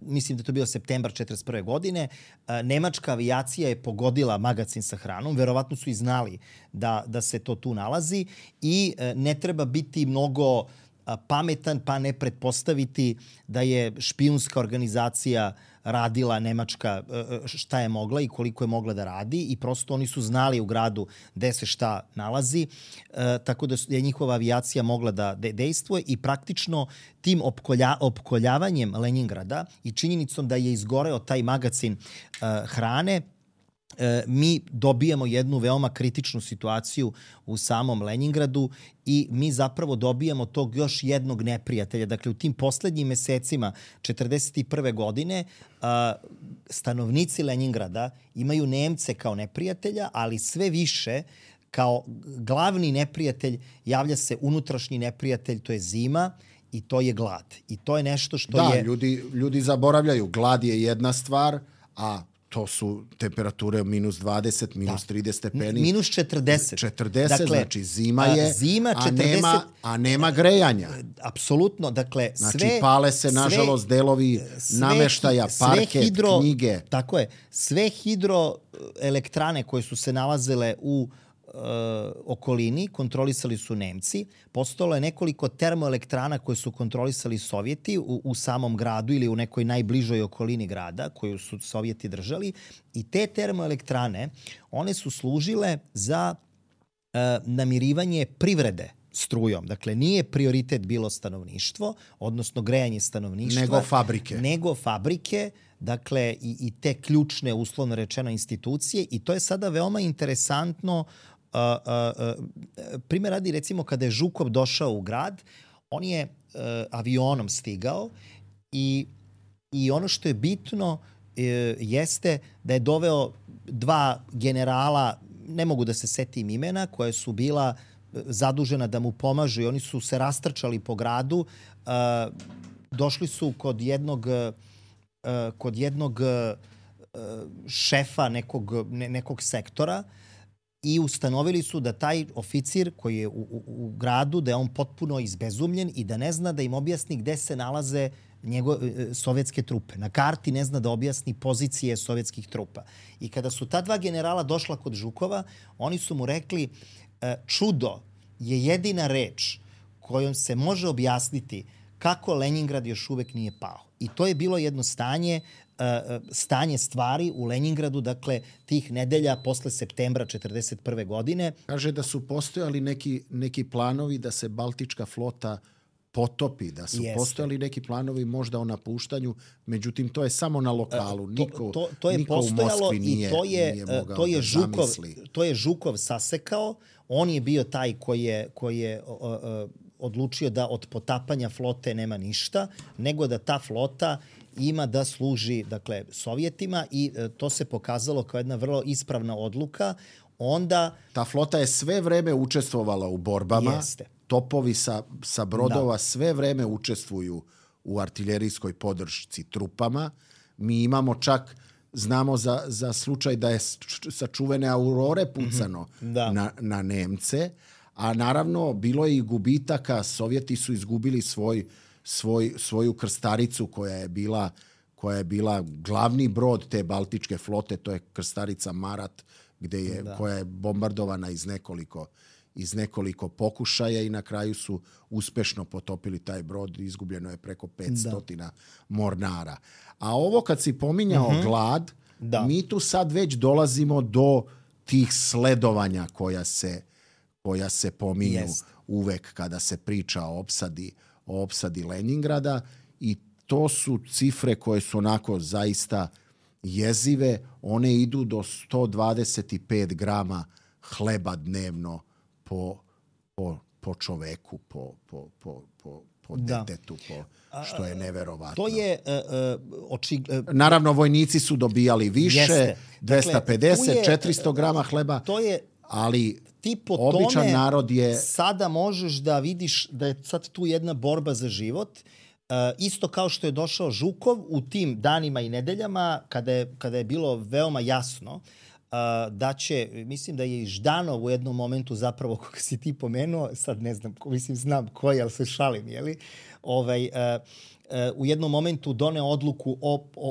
mislim da to bio septembar 1941. godine, nemačka avijacija je pogodila magacin sa hranom, verovatno su i znali da se to tu nalazi i ne treba biti mnogo pametan pa ne pretpostaviti da je špijunska organizacija radila nemačka šta je mogla i koliko je mogla da radi i prosto oni su znali u gradu gde se šta nalazi, tako da je njihova avijacija mogla da dejstvuje i praktično tim opkoljavanjem Leningrada i činjenicom da je izgoreo taj magacin hrane, mi dobijamo jednu veoma kritičnu situaciju u samom Leningradu i mi zapravo dobijamo tog još jednog neprijatelja. Dakle, u tim poslednjim mesecima 1941. godine stanovnici Leningrada imaju Nemce kao neprijatelja, ali sve više kao glavni neprijatelj javlja se unutrašnji neprijatelj, to je zima i to je glad. I to je nešto što je...
Da, ljudi zaboravljaju. Glad je jedna stvar, a to su temperature minus 20, minus 30 stepeni.
Minus 40.
40, dakle, znači zima je, zima 40, a nema grejanja.
Apsolutno, dakle,
znači, pale se, nažalost, delovi nameštaja, parket, knjige.
Tako je. Sve hidroelektrane koje su se nalazile u okolini kontrolisali su Nemci. Postojalo je nekoliko termoelektrana koje su kontrolisali Sovjeti u samom gradu ili u nekoj najbližoj okolini grada koju su Sovjeti držali. I te termoelektrane, one su služile za namirivanje privrede strujom. Dakle, nije prioritet bilo stanovništvo, odnosno grejanje stanovništva. Nego fabrike. Dakle, i te ključne, uslovno rečeno, institucije. I to je sada veoma interesantno. Primjer radi, recimo, kada je Žukov došao u grad, on je avionom stigao i ono što je bitno jeste da je doveo dva generala, ne mogu da se setim imena, koje su bila zadužena da mu pomažu i oni su se rastrčali po gradu. Došli su kod jednog šefa nekog sektora i ustanovili su da taj oficir koji je u gradu, da je on potpuno izbezumljen i da ne zna da im objasni gde se nalaze sovjetske trupe. Na karti ne zna da objasni pozicije sovjetskih trupa. I kada su ta dva generala došla kod Žukova, oni su mu rekli čudo je jedina reč kojom se može objasniti kako Leningrad još uvek nije pao. I to je bilo jedno stanje stvari u Leningradu, dakle, tih nedelja posle septembra 1941. godine.
Kaže da su postojali neki planovi da se Baltička flota potopi, da su postojali neki planovi možda o napuštanju, međutim, to je samo na lokalu. Niko u Moskvi nije mogao da zamisli.
To je Žukov sasekao. On je bio taj koji je odlučio da od potapanja flote nema ništa, nego da ta flota ima da služi, dakle, Sovjetima i to se pokazalo kao jedna vrlo ispravna odluka. Onda...
Ta flota je sve vreme učestvovala u borbama.
Jeste.
Topovi sa brodova sve vreme učestvuju u artiljerijskoj podršci trupama. Mi imamo čak, znamo za slučaj da je sa čuvene Aurore pucano na Nemce, a naravno bilo je i gubitaka. Sovjeti su izgubili svoju krstaricu koja je bila glavni brod te Baltičke flote, to je krstarica Marat, koja je bombardovana iz nekoliko pokušaja i na kraju su uspešno potopili taj brod. Izgubljeno je preko 500 mornara. A ovo kad si pominjao glad, mi tu sad već dolazimo do tih sledovanja koja se pominju uvek kada se priča o opsadi Leningrada i to su cifre koje su onako zaista jezive. One idu do 125 grama hleba dnevno po čoveku, po detetu, što je neverovatno.
To je
naravno, vojnici su dobijali više, 250, 400 grama hleba, ali običan narod je...
Sada možeš da vidiš da je sad tu jedna borba za život. Isto kao što je došao Žukov u tim danima i nedeljama kada je bilo veoma jasno da će, mislim da je i Ždanov u jednom momentu zapravo, koga si ti pomenuo, sad ne znam, mislim znam koji, ali se šalim, jeli? U jednom momentu doneo odluku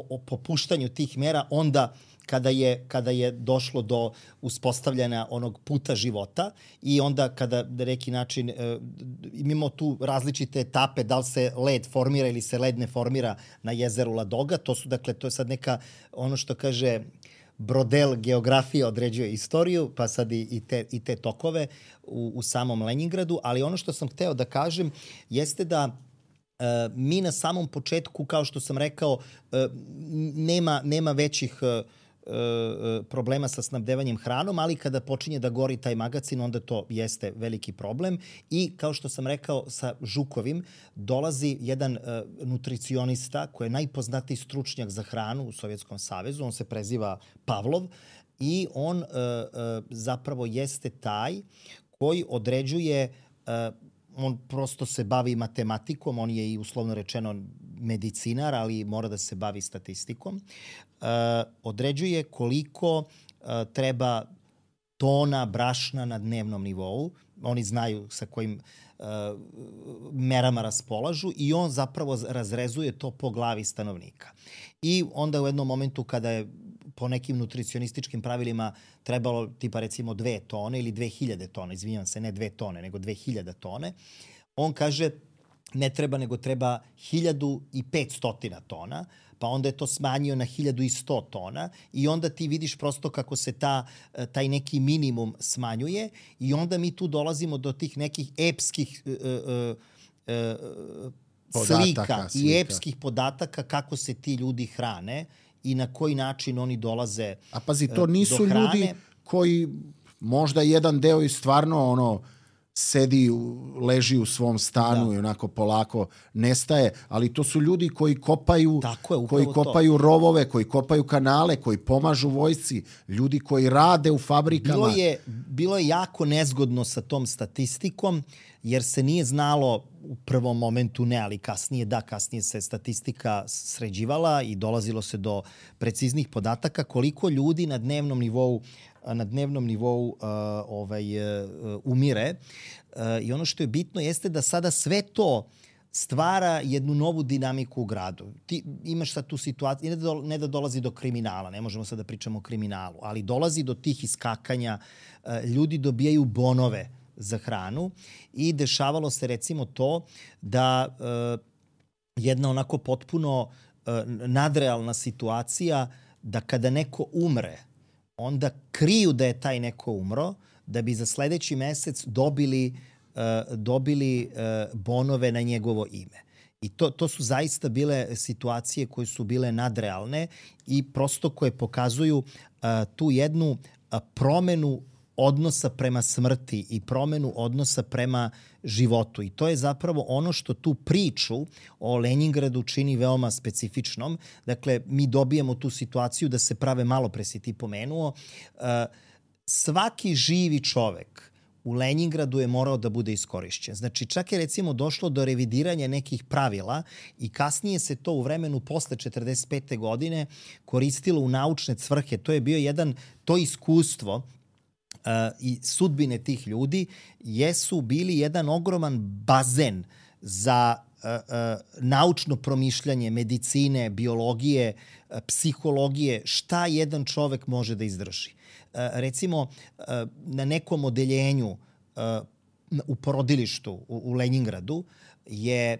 o popuštanju tih mera onda kada je došlo do uspostavljanja onog puta života i onda kada na neki način imamo tu različite etape, da li se led formira ili se led ne formira na jezeru Ladoga, to je sad neka, ono što kaže Brodel, geografija određuje istoriju, pa sad i te tokove u samom Leningradu, ali ono što sam hteo da kažem jeste da mi na samom početku, kao što sam rekao, nema većih problema sa snabdevanjem hranom, ali kada počinje da gori taj magacin, onda to jeste veliki problem. I kao što sam rekao, sa Žukovim dolazi jedan nutricionista koji je najpoznatiji stručnjak za hranu u Sovjetskom savezu. On se preziva Pavlov i on zapravo jeste taj koji određuje, on prosto se bavi matematikom, on je i uslovno rečeno medicinar, ali mora da se bavi statistikom. Određuje koliko treba tona brašna na dnevnom nivou. Oni znaju sa kojim merama raspolažu i on zapravo razrezuje to po glavi stanovnika. I onda u jednom momentu kada je po nekim nutricionističkim pravilima trebalo tipa recimo 2 tone ili 2000 tona, izvinjam se, ne 2 tone, nego 2000 tone, on kaže ne treba, nego treba 1500 tona, pa onda je to smanjio na 1100 tona i onda ti vidiš prosto kako se taj neki minimum smanjuje i onda mi tu dolazimo do tih nekih epskih slika i epskih podataka kako se ti ljudi hrane i na koji način oni dolaze do hrane.
A pazi, to nisu ljudi koji možda jedan deo i stvarno leži u svom stanu i onako polako nestaje, ali to su ljudi koji kopaju rovove, koji kopaju kanale, koji pomažu vojsci, ljudi koji rade u fabrikama.
Bilo je jako nezgodno sa tom statistikom, jer se nije znalo u prvom momentu ali kasnije se statistika sređivala i dolazilo se do preciznih podataka koliko ljudi na dnevnom nivou umire. I ono što je bitno jeste da sada sve to stvara jednu novu dinamiku u gradu. Ti imaš sad tu situaciju, ne da dolazi do kriminala, ne možemo sad da pričamo o kriminalu, ali dolazi do tih iskakanja, ljudi dobijaju bonove za hranu i dešavalo se recimo to da jedna onako potpuno nadrealna situacija da kada neko umre, onda kriju da je taj neko umro, da bi za sledeći mesec dobili bonove na njegovo ime. I to su zaista bile situacije koje su bile nadrealne i prosto koje pokazuju tu jednu promenu odnosa prema smrti i promenu odnosa prema životu. I to je zapravo ono što tu priču o Leningradu čini veoma specifičnom. Dakle, mi dobijemo tu situaciju da se prave, malo pre si ti pomenuo, svaki živi čovek u Leningradu je morao da bude iskorišćen. Znači, čak je recimo došlo do revidiranja nekih pravila i kasnije se to u vremenu posle 45. godine koristilo u naučne svrhe. To je bio to iskustvo i sudbine tih ljudi jesu bili jedan ogroman bazen za naučno promišljanje medicine, biologije, psihologije, šta jedan čovek može da izdrži. Recimo, na nekom odeljenju u porodilištu u Leningradu je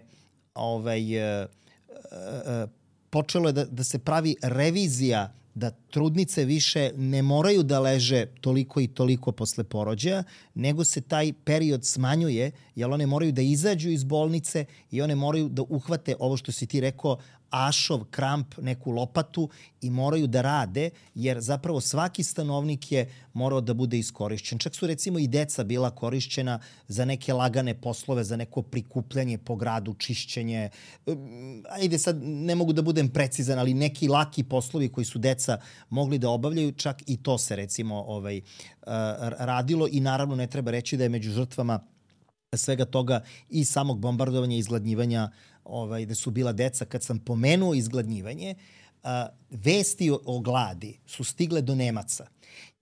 počelo da se pravi revizija da trudnice više ne moraju da leže toliko i toliko posle porođaja, nego se taj period smanjuje, jer one moraju da izađu iz bolnice i one moraju da uhvate ovo što si ti rekao, ašov, kramp, neku lopatu i moraju da rade, jer zapravo svaki stanovnik je morao da bude iskorišćen. Čak su recimo i deca bila korišćena za neke lagane poslove, za neko prikupljanje po gradu, čišćenje. Ajde sad, ne mogu da budem precizan, ali neki laki poslovi koji su deca mogli da obavljaju, čak i to se recimo radilo i naravno ne treba reći da je među žrtvama svega toga i samog bombardovanja i izgladnjivanja da su bila deca. Kad sam pomenuo izgladnjivanje, vesti o gladi su stigle do Nemaca.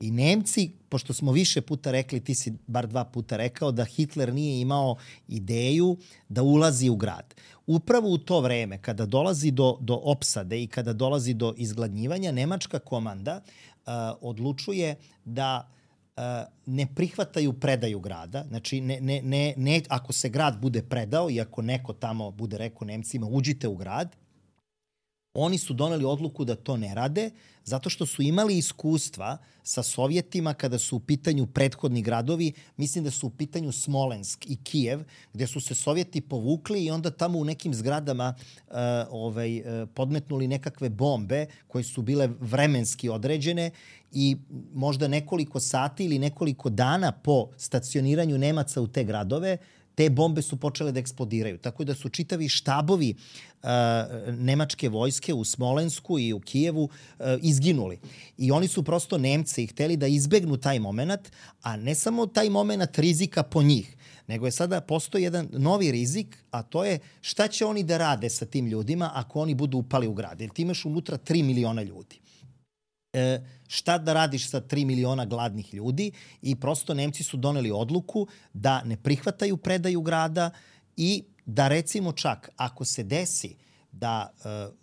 I Nemci, pošto smo više puta rekli, ti si bar 2 puta rekao, da Hitler nije imao ideju da ulazi u grad. Upravo u to vreme, kada dolazi do opsade i kada dolazi do izgladnjivanja, nemačka komanda odlučuje da ne prihvataju predaju grada. Znači, ne, ako se grad bude predao i ako neko tamo bude rekao Nemcima uđite u grad, oni su doneli odluku da to ne rade, zato što su imali iskustva sa Sovjetima kada su u pitanju prethodni gradovi, mislim da su u pitanju Smolensk i Kijev, gde su se Sovjeti povukli i onda tamo u nekim zgradama podmetnuli nekakve bombe koje su bile vremenski određene i možda nekoliko sati ili nekoliko dana po stacioniranju Nemaca u te gradove, te bombe su počele da eksplodiraju. Tako da su čitavi štabovi nemačke vojske u Smolensku i u Kijevu izginuli. I oni su prosto Nemci hteli da izbegnu taj moment, a ne samo taj moment rizika po njih, nego je sada postoji jedan novi rizik, a to je šta će oni da rade sa tim ljudima ako oni budu upali u grad. Jer ti imaš unutra 3 miliona ljudi. Šta da radiš sa 3 miliona gladnih ljudi i prosto Nemci su doneli odluku da ne prihvataju predaju grada i da recimo čak ako se desi da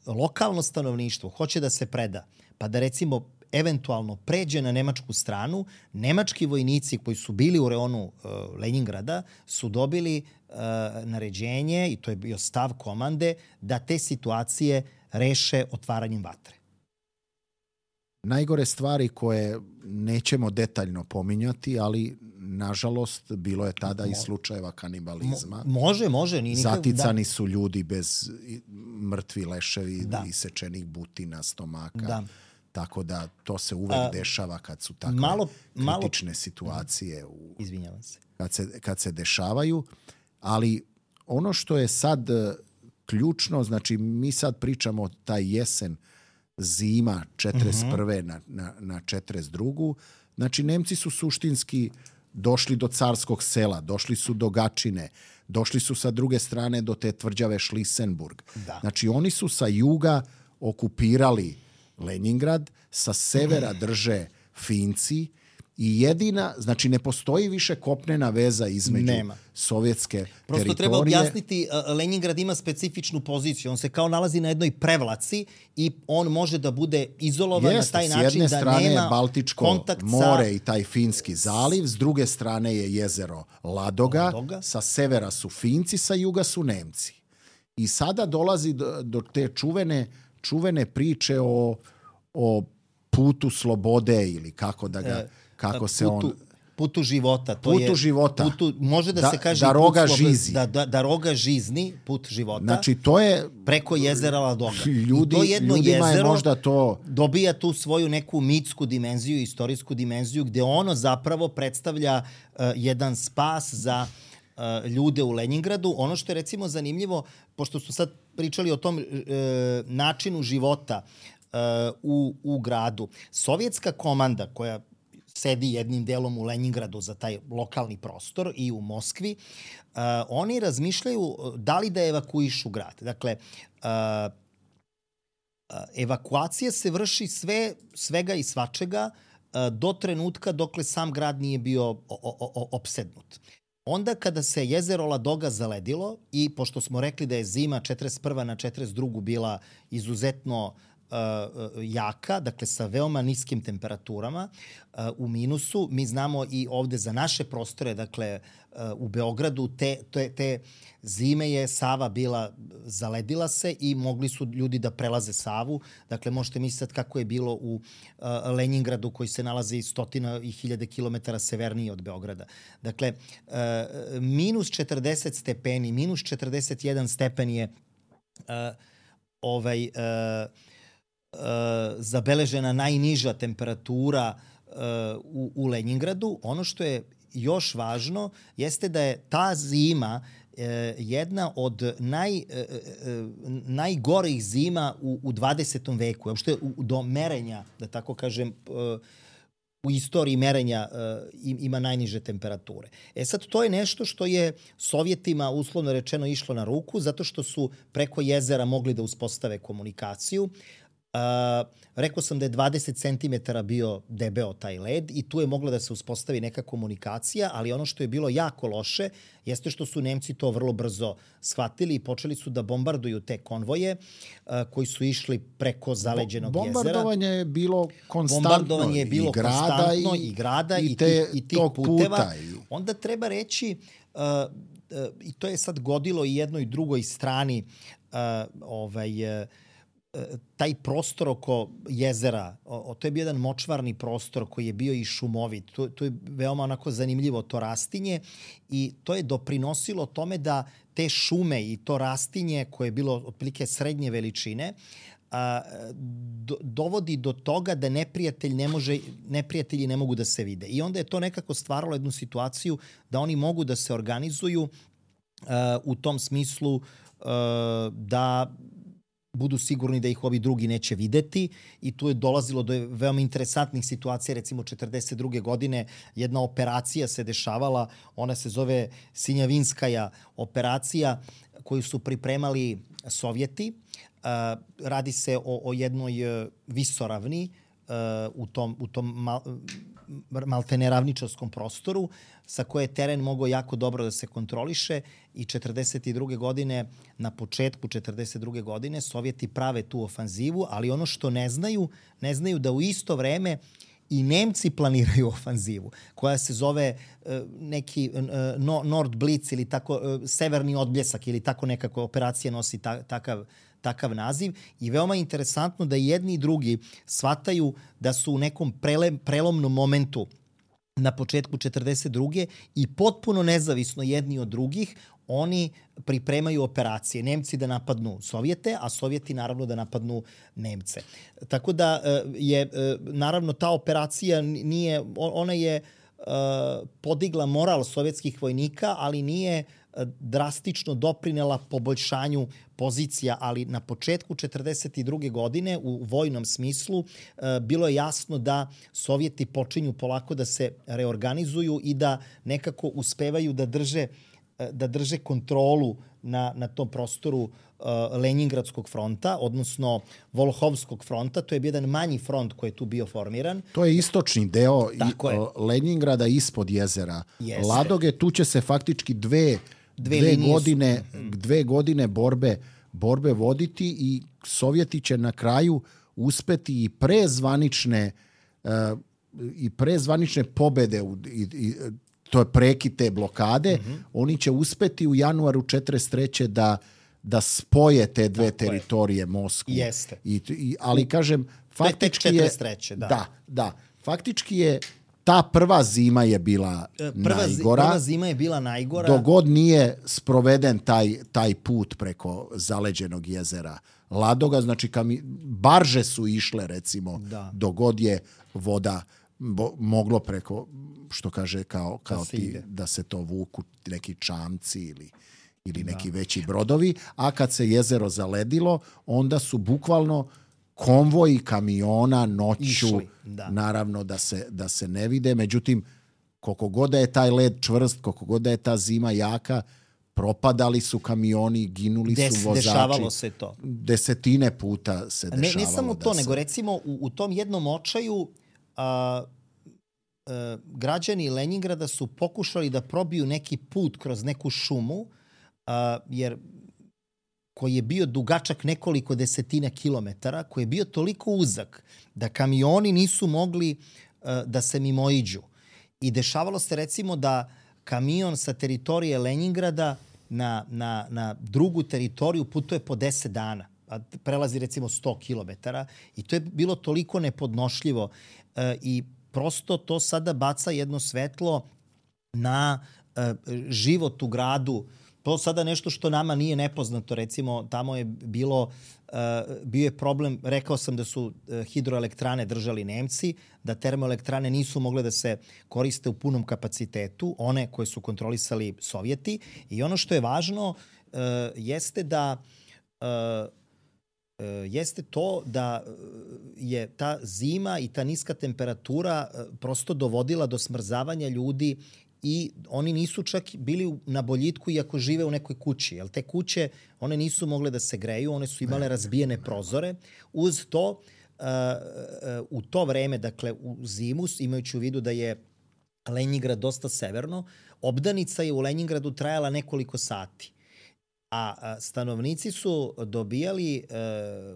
lokalno stanovništvo hoće da se preda, pa da recimo eventualno pređe na nemačku stranu, nemački vojnici koji su bili u reonu Leningrada su dobili naređenje, i to je bio stav komande, da te situacije reše otvaranjem vatre.
Najgore stvari koje nećemo detaljno pominjati, ali nažalost bilo je tada i slučajeva kanibalizma.
Može.
Zaticani su ljudi bez mrtvi leševi, isečenih butina, stomaka. Da. Tako da to se uvek dešava kad su takve kritične situacije.
Izvinjavam se.
Kad se dešavaju. Ali ono što je sad ključno, znači mi sad pričamo taj jesen, zima 41. na 42. Znači, Nemci su suštinski došli do Carskog sela, došli su do Gačine, došli su sa druge strane do te tvrđave Šlisenburg. Da. Znači, oni su sa juga okupirali Leningrad, sa severa drže Finci i jedina, znači ne postoji više kopnena veza između sovjetske teritorije.
Prosto treba objasniti, Leningrad ima specifičnu poziciju. On se kao nalazi na jednoj prevlaci i on može da bude izolovan na taj način da nema kontakt sa... S jedne strane je Baltičko more i taj Finski zaliv, s druge strane je jezero Ladoga, sa severa su Finci, sa juga su Nemci. I sada dolazi do te čuvene priče o putu slobode ili kako da ga... Putu života. Može da se kaže
da roga žizi.
Da roga žizni, put života.
Znači, to je...
Preko jezera Ladoga.
Ljudima je možda to...
Dobija tu svoju neku mitsku dimenziju, istorijsku dimenziju, gde ono zapravo predstavlja jedan spas za ljude u Leningradu. Ono što je recimo zanimljivo, pošto su sad pričali o tom načinu života u gradu. Sovjetska komanda koja sedi jednim delom u Leningradu za taj lokalni prostor i u Moskvi, oni razmišljaju da li da evakuišu grad. Dakle, evakuacija se vrši svega i svačega do trenutka dokle sam grad nije bio opsednut. Onda kada se jezero Ladoga zaledilo i pošto smo rekli da je zima 41. na 42. bila izuzetno jaka, dakle sa veoma niskim temperaturama u minusu. Mi znamo i ovde za naše prostore, dakle u Beogradu, te zime je Sava bila, zaledila se i mogli su ljudi da prelaze Savu. Dakle, možete misliti kako je bilo u Leningradu koji se nalazi stotina i hiljade kilometara severnije od Beograda. Dakle, minus 40 stepeni, minus 41 stepen je zabeležena najniža temperatura u Leningradu. Ono što je još važno jeste da je ta zima jedna od najgorih zima u 20. veku. Uopšte do merenja, da tako kažem, u istoriji merenja ima najniže temperature. Sad, to je nešto što je Sovjetima, uslovno rečeno, išlo na ruku, zato što su preko jezera mogli da uspostave komunikaciju. Rekao sam da je 20 cm bio debeo taj led i tu je mogla da se uspostavi neka komunikacija, ali ono što je bilo jako loše jeste što su Nemci to vrlo brzo shvatili i počeli su da bombarduju te konvoje koji su išli preko zaleđenog jezera.
Bombardovanje je bilo konstantno.
Bombardovanje je bilo konstantno i grada i tih puteva. Onda treba reći, i to je sad godilo i jednoj i drugoj strani, taj prostor oko jezera, to je bio jedan močvarni prostor koji je bio i šumovit. To je veoma onako zanimljivo to rastinje i to je doprinosilo tome da te šume i to rastinje koje je bilo otprilike srednje veličine dovodi do toga da neprijatelji ne mogu da se vide. I onda je to nekako stvaralo jednu situaciju da oni mogu da se organizuju u tom smislu da budu sigurni da ih ovi drugi neće videti i tu je dolazilo do veoma interesantnih situacija. Recimo 1942. godine jedna operacija se dešavala, ona se zove Sinjavinskaja operacija koju su pripremali Sovjeti. Radi se o jednoj visoravni u tom maltene ravničarskom prostoru sa koje je teren mogao jako dobro da se kontroliše i 1942. godine, na početku 1942. godine, Sovjeti prave tu ofanzivu, ali ono što ne znaju da u isto vreme i Nemci planiraju ofanzivu, koja se zove neki Nordblitz ili tako, severni odbljesak ili tako nekako operacija nosi takav naziv i veoma interesantno da jedni i drugi shvataju da su u nekom prelomnom momentu na početku 1942. i potpuno nezavisno jedni od drugih oni pripremaju operacije. Nemci da napadnu Sovjete, a Sovjeti naravno da napadnu Nemce. Tako da je naravno ta operacija ona je podigla moral sovjetskih vojnika, ali nije drastično doprinela poboljšanju pozicija, ali na početku 1942. godine u vojnom smislu bilo je jasno da Sovjeti počinju polako da se reorganizuju i da nekako uspevaju da drže kontrolu na tom prostoru Lenjingradskog fronta, odnosno Volhovskog fronta. To je bio jedan manji front koji je tu bio formiran.
To je istočni deo Lenjingrada ispod jezera Ladoge. Tu će se faktički dve godine borbe voditi i Sovjeti će na kraju uspeti i pre zvanične pobede to je prekid te blokade. Oni će uspeti u januaru 1943. da spoje te dve teritorije, Moskvu.
Jeste.
Ali kažem, faktički
je 43.
Da. Faktički je ta prva zima je bila najgora.
Prva zima je bila najgora.
Dok god nije sproveden taj put preko zaleđenog jezera Ladoga, znači barže su išle recimo, dok god je voda moglo preko, što kaže, kao da se to vuku neki čamci ili neki veći brodovi, a kad se jezero zaledilo, onda su bukvalno konvoji kamiona noću, naravno da se ne vide. Međutim, koliko god da je taj led čvrst, koliko god da je ta zima jaka, propadali su kamioni, ginuli su vozači.
Dešavalo se to.
Desetine puta se dešavalo.
Ne samo to, nego recimo u tom jednom očaju građani Lenjingrada su pokušali da probiju neki put kroz neku šumu, jer koji je bio dugačak nekoliko desetina kilometara, koji je bio toliko uzak da kamioni nisu mogli da se mimoiđu. I dešavalo se recimo da kamion sa teritorije Lenjingrada na drugu teritoriju putuje po 10 dana. Prelazi recimo 100 kilometara i to je bilo toliko nepodnošljivo i prosto to sada baca jedno svetlo na život u gradu. To sada nešto što nama nije nepoznato. Recimo, tamo je bio je problem, rekao sam da su hidroelektrane držali Nemci, da termoelektrane nisu mogle da se koriste u punom kapacitetu, one koje su kontrolisali Sovjeti. I ono što je važno jeste to da je ta zima i ta niska temperatura prosto dovodila do smrzavanja ljudi i oni nisu čak bili na boljitku iako žive u nekoj kući. Jer te kuće, one nisu mogle da se greju, one su imale razbijene prozore. Uz to, u to vreme, dakle u zimu, imajući u vidu da je Lenjingrad dosta severno, obdanica je u Lenjingradu trajala nekoliko sati. A stanovnici su dobijali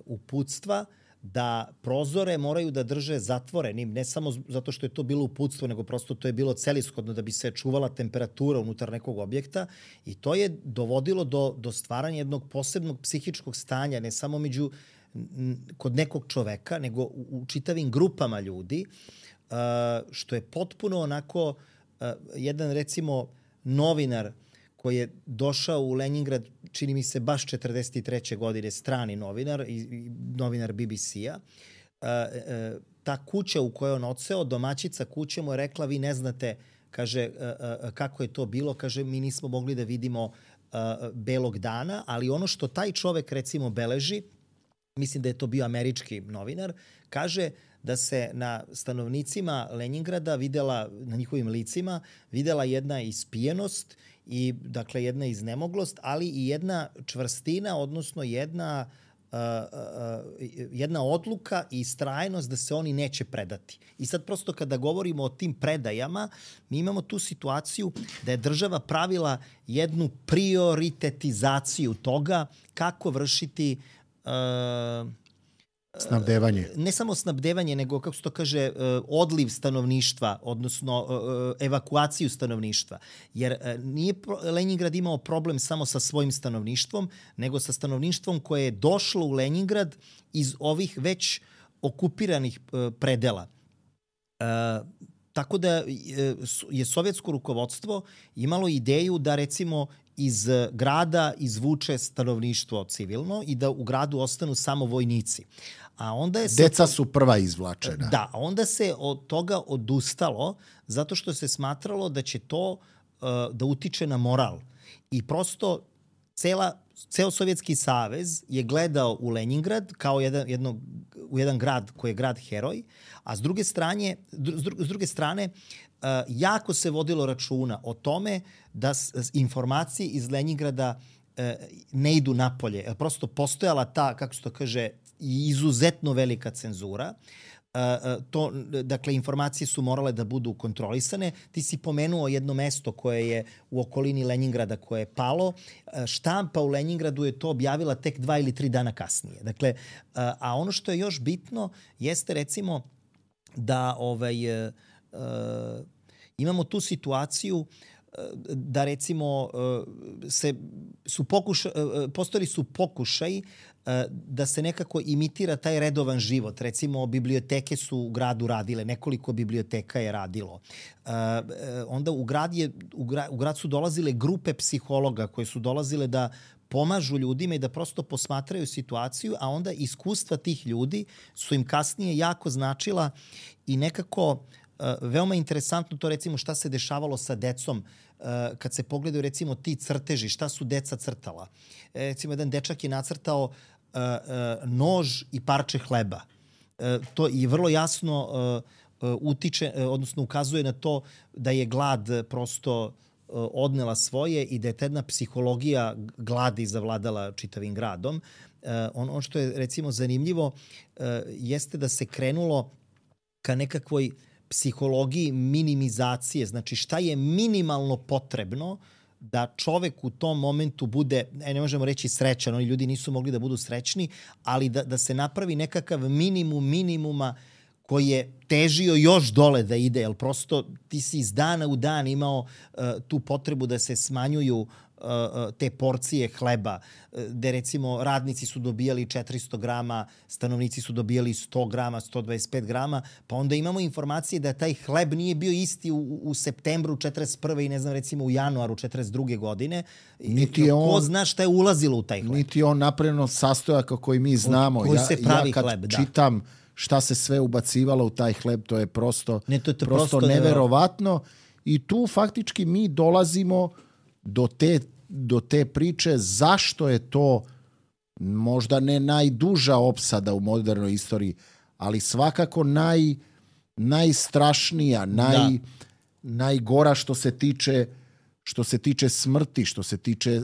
uputstva da prozore moraju da drže zatvorenim, ne samo zato što je to bilo uputstvo, nego prosto to je bilo celishodno da bi se čuvala temperatura unutar nekog objekta i to je dovodilo do stvaranja jednog posebnog psihičkog stanja, ne samo kod nekog čoveka, nego u čitavim grupama ljudi, što je potpuno onako jedan, recimo, novinar koji je došao u Lenjingrad, čini mi se baš 43. godine, strani novinar, novinar BBC-a. Ta kuća u kojoj on odseo, domaćica kuće mu je rekla, vi ne znate, kaže, kako je to bilo, kaže, mi nismo mogli da vidimo belog dana, ali ono što taj čovek, recimo, beleži, mislim da je to bio američki novinar, kaže da se na stanovnicima Lenjingrada videla, na njihovim licima, videla jedna ispijenost i, dakle, jedna iznemoglost, ali i jedna čvrstina, odnosno jedna odluka i istrajnost da se oni neće predati. I sad prosto kada govorimo o tim predajama, mi imamo tu situaciju da je država pravila jednu prioritetizaciju toga kako vršiti
snabdevanje.
Ne samo snabdevanje, nego, kako se to kaže, odliv stanovništva, odnosno evakuaciju stanovništva. Jer nije Lenjingrad imao problem samo sa svojim stanovništvom, nego sa stanovništvom koje je došlo u Lenjingrad iz ovih već okupiranih predela. Tako da je sovjetsko rukovodstvo imalo ideju da, recimo, iz grada izvuče stanovništvo civilno i da u gradu ostanu samo vojnici. A onda je
deca su prva izvlačena.
Da, onda se od toga odustalo zato što se smatralo da će to da utiče na moral. I prosto ceo Sovjetski savez je gledao u Lenjingrad kao jedan grad koji je grad heroj, a s druge strane jako se vodilo računa o tome da informacije iz Lenjingrada ne idu napolje. Prosto postojala ta, kako se to kaže, izuzetno velika cenzura. Dakle, informacije su morale da budu kontrolisane. Ti si pomenuo jedno mesto koje je u okolini Lenjingrada koje je palo. Štampa u Lenjingradu je to objavila tek 2 ili 3 dana kasnije. Dakle, a ono što je još bitno jeste, recimo, da imamo tu situaciju da, recimo, postojali su pokušaj da se nekako imitira taj redovan život. Recimo, biblioteke su u gradu radile, nekoliko biblioteka je radilo. Onda u grad su dolazile grupe psihologa koje su dolazile da pomažu ljudima i da prosto posmatraju situaciju, a onda iskustva tih ljudi su im kasnije jako značila i nekako veoma interesantno to, recimo, šta se dešavalo sa decom kad se pogledaju, recimo, ti crteži, šta su deca crtala. Recimo, jedan dečak je nacrtao nož i parče hleba. To i vrlo jasno utiče, odnosno ukazuje na to da je glad prosto odnela svoje i da je jedna psihologija gladi zavladala čitavim gradom. Ono što je, recimo, zanimljivo jeste da se krenulo ka nekakvoj psihologiji minimizacije. Znači, šta je minimalno potrebno da čovek u tom momentu bude, ne možemo reći srećan, oni ljudi nisu mogli da budu srećni, ali da se napravi nekakav minimuma koji je težio još dole da ide, jer prosto ti si iz dana u dan imao tu potrebu da se smanjuju te porcije hleba, gde, recimo, radnici su dobijali 400 grama, stanovnici su dobijali 100 grama, 125 grama, pa onda imamo informacije da taj hleb nije bio isti u septembru 41. i, ne znam, recimo u januaru 42. godine. Ko zna šta je ulazilo u taj hleb?
Niti on napravljeno sastojaka koji mi znamo.
Koji se pravi
kad
hleb, da.
Čitam šta se sve ubacivalo u taj hleb, to je prosto
prosto
neverovatno. I tu faktički mi dolazimo do te priče zašto je to možda ne najduža opsada u modernoj istoriji, ali svakako najstrašnija, najgora što se tiče smrti, što se tiče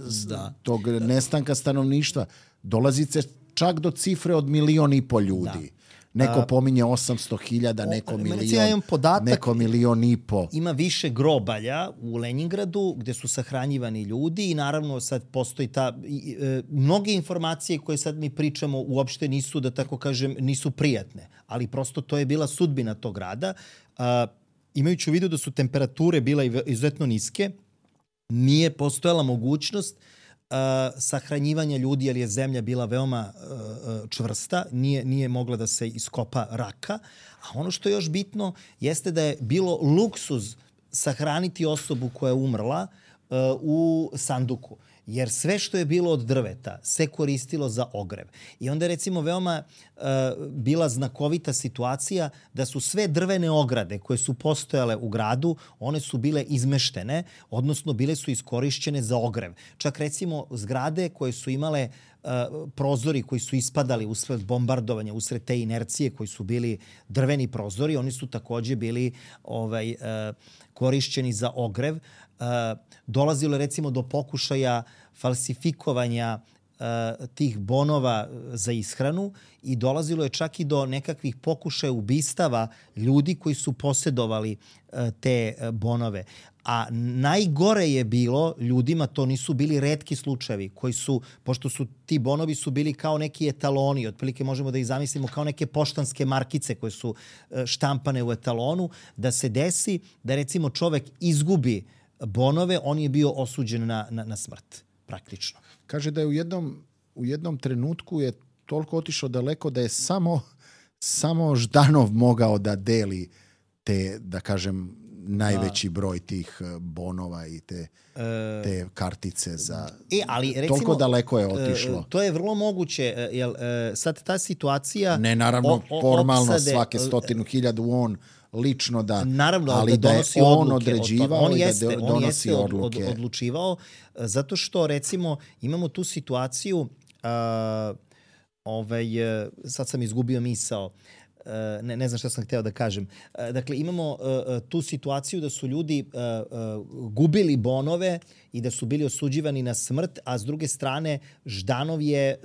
tog nestanka stanovništva. Dolazi se čak do cifre od 1,5 miliona ljudi. Neko pominje 800.000, neko milion, neko 1,5 miliona.
Ima više grobalja u Leningradu gde su sahranjivani ljudi i naravno sad postoji mnoge informacije koje sad mi pričamo uopšte nisu, da tako kažem, nisu prijatne, ali prosto to je bila sudbina tog grada. Imajući u vidu da su temperature bile izuzetno niske, nije postojala mogućnost sahranjivanja ljudi, jer je zemlja bila veoma čvrsta, nije mogla da se iskopa raka. A ono što je još bitno jeste da je bilo luksuz sahraniti osobu koja je umrla u sanduku. Jer sve što je bilo od drveta se koristilo za ogrev. I onda je recimo veoma bila znakovita situacija da su sve drvene ograde koje su postojale u gradu, one su bile izmeštene, odnosno bile su iskorišćene za ogrev. Čak recimo zgrade koje su imale prozori koji su ispadali usred bombardovanja, usred te inercije koji su bili drveni prozori, oni su takođe bili korišćeni za ogrev. Dolazilo je recimo do pokušaja falsifikovanja tih bonova za ishranu i dolazilo je čak i do nekakvih pokušaja ubistava ljudi koji su posjedovali te bonove. A najgore je bilo ljudima, to nisu bili retki slučajevi, koji su, pošto su ti bonovi su bili kao neki etaloni, otprilike možemo da ih zamislimo kao neke poštanske markice koje su štampane u etalonu, da se desi da recimo čovek izgubi bonove, on je bio osuđen na smrt, praktično.
Kaže da je u jednom trenutku je toliko otišao daleko da je samo Ždanov mogao da deli te, da kažem, najveći broj tih bonova i te kartice za...
ali recimo,
toliko daleko je otišlo.
To je vrlo moguće, jer sad ta situacija...
Ne, naravno, formalno svake 100.000 on lično da...
Naravno,
ali
da donosi odluke. On
određivao i da donosi odluke.
Odlučivao, zato što, recimo, imamo tu situaciju, sad sam izgubio misao, ne znam šta sam hteo da kažem. Dakle, imamo tu situaciju da su ljudi gubili bonove i da su bili osuđivani na smrt, a s druge strane Ždanov je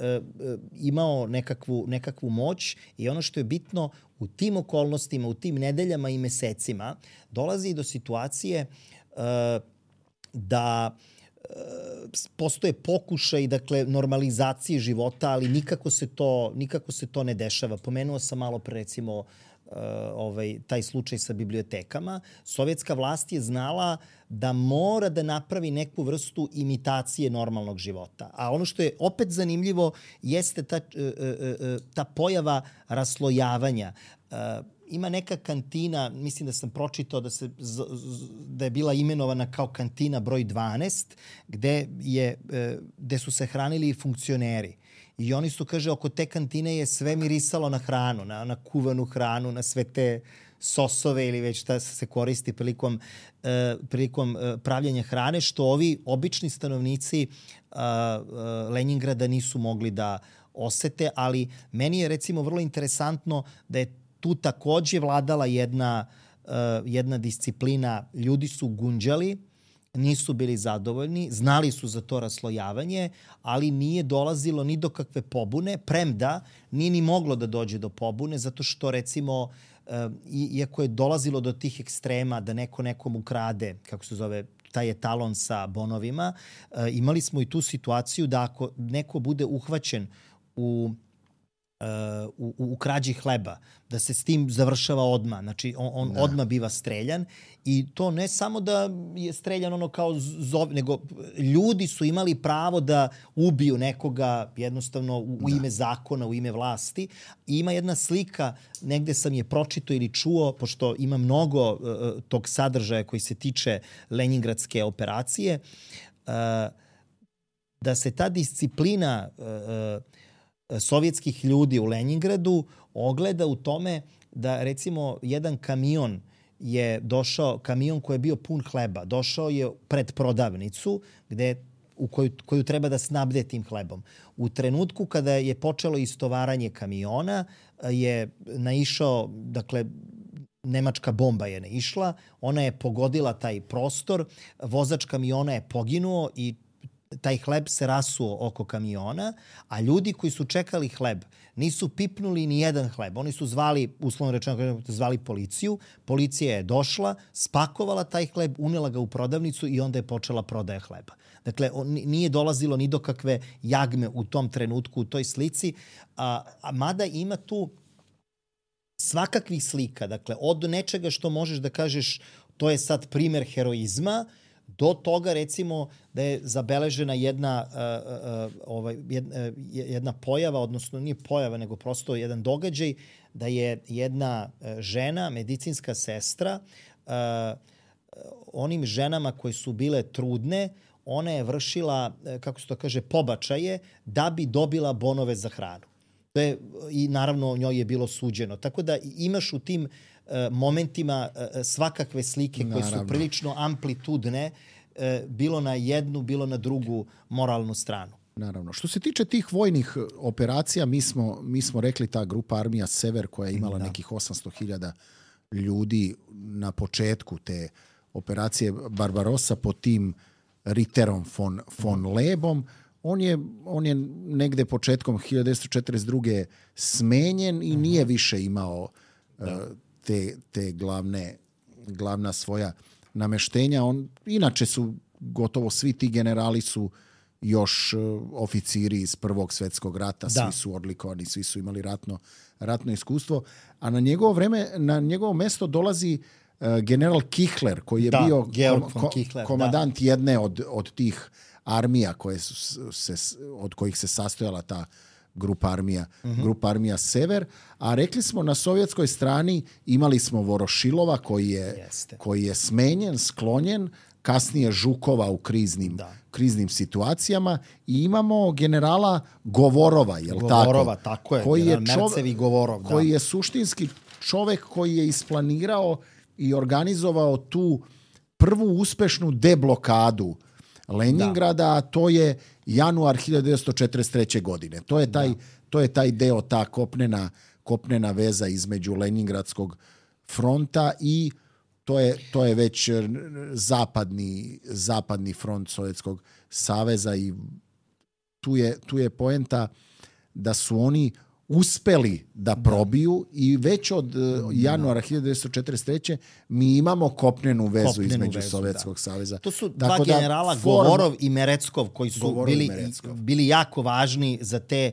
imao nekakvu moć i ono što je bitno u tim okolnostima, u tim nedeljama i mesecima dolazi do situacije da postoje pokušaj, dakle, normalizacije života, ali nikako se to ne dešava. Pomenuo sam malo pre, recimo, taj slučaj sa bibliotekama. Sovjetska vlast je znala da mora da napravi neku vrstu imitacije normalnog života. A ono što je opet zanimljivo jeste ta pojava raslojavanja. Ima neka kantina, mislim da sam pročitao da je bila imenovana kao kantina broj 12, gde su se hranili funkcioneri. I oni su, kaže, oko te kantine je sve mirisalo na hranu, na kuvanu hranu, na sve te sosove ili već šta se koristi prilikom pravljenja hrane, što ovi obični stanovnici Leningrada nisu mogli da osete, ali meni je recimo vrlo interesantno da je tu takođe vladala jedna disciplina. Ljudi su gunđali, nisu bili zadovoljni, znali su za to raslojavanje, ali nije dolazilo ni do kakve pobune, premda nije ni moglo da dođe do pobune, zato što, recimo, iako je dolazilo do tih ekstrema da neko nekom ukrade, kako se zove, taj etalon sa bonovima, imali smo i tu situaciju da ako neko bude uhvaćen u krađi hleba, da se s tim završava odmah. Znači, on odmah biva streljan i to ne samo da je streljan ono kao nego ljudi su imali pravo da ubiju nekoga jednostavno u ime zakona, u ime vlasti. I ima jedna slika, negde sam je pročitao ili čuo, pošto ima mnogo tog sadržaja koji se tiče Leningradske operacije, da se ta disciplina sovjetskih ljudi u Leningradu ogleda u tome da, recimo, jedan kamion je došao, kamion koji je bio pun hleba, došao je pred prodavnicu koju treba da snabde tim hlebom. U trenutku kada je počelo istovaranje kamiona je naišao, dakle, nemačka bomba je naišla, ona je pogodila taj prostor, vozač kamiona je poginuo i taj hleb se rasuo oko kamiona, a ljudi koji su čekali hleb nisu pipnuli ni jedan hleb. Oni su zvali, uslovno rečeno, zvali policiju. Policija je došla, spakovala taj hleb, unela ga u prodavnicu i onda je počela prodaja hleba. Dakle, nije dolazilo ni do kakve jagme u tom trenutku, u toj slici, a mada ima tu svakakvih slika. Dakle, od nečega što možeš da kažeš to je sad primer heroizma, do toga, recimo, da je zabeležena jedna pojava, odnosno nije pojava, nego prosto jedan događaj, da je jedna žena, medicinska sestra, onim ženama koje su bile trudne, ona je vršila, kako se to kaže, pobačaje da bi dobila bonove za hranu. I naravno njoj je bilo suđeno. Tako da imaš u tim momentima svakakve slike koje su prilično amplitudne, bilo na jednu, bilo na drugu moralnu stranu.
Naravno. Što se tiče tih vojnih operacija, mi smo rekli ta grupa Armija Sever koja je imala nekih 800.000 ljudi na početku te operacije Barbarossa pod tim Ritterom von Lebom. On je negde početkom 1942. smenjen i nije više imao te glavna svoja nameštenja. Inače su gotovo svi ti generali su još oficiri iz Prvog svjetskog rata, svi su odlikovani, svi su imali ratno iskustvo, a na njegovo mesto dolazi general Kichler, koji je bio komandant jedne od tih armija od kojih se sastojala ta grupa armija Sever, a rekli smo na sovjetskoj strani imali smo Vorošilova koji je smenjen, sklonjen, kasnije Žukova u kriznim situacijama i imamo generala Govorova,
tako je, Mercevi Govorov,
koji je suštinski čovek koji je isplanirao i organizovao tu prvu uspešnu deblokadu Leningrada, a to je januar 1943. godine. To je taj deo, ta kopnena veza između Leningradskog fronta i to je već zapadni front Sovjetskog saveza i tu je poenta da su oni uspeli da probiju i već od januara 1943. mi imamo kopnenu vezu između Sovjetskog saveza.
To su dva generala, Govorov i Mereckov, koji su bili jako važni za te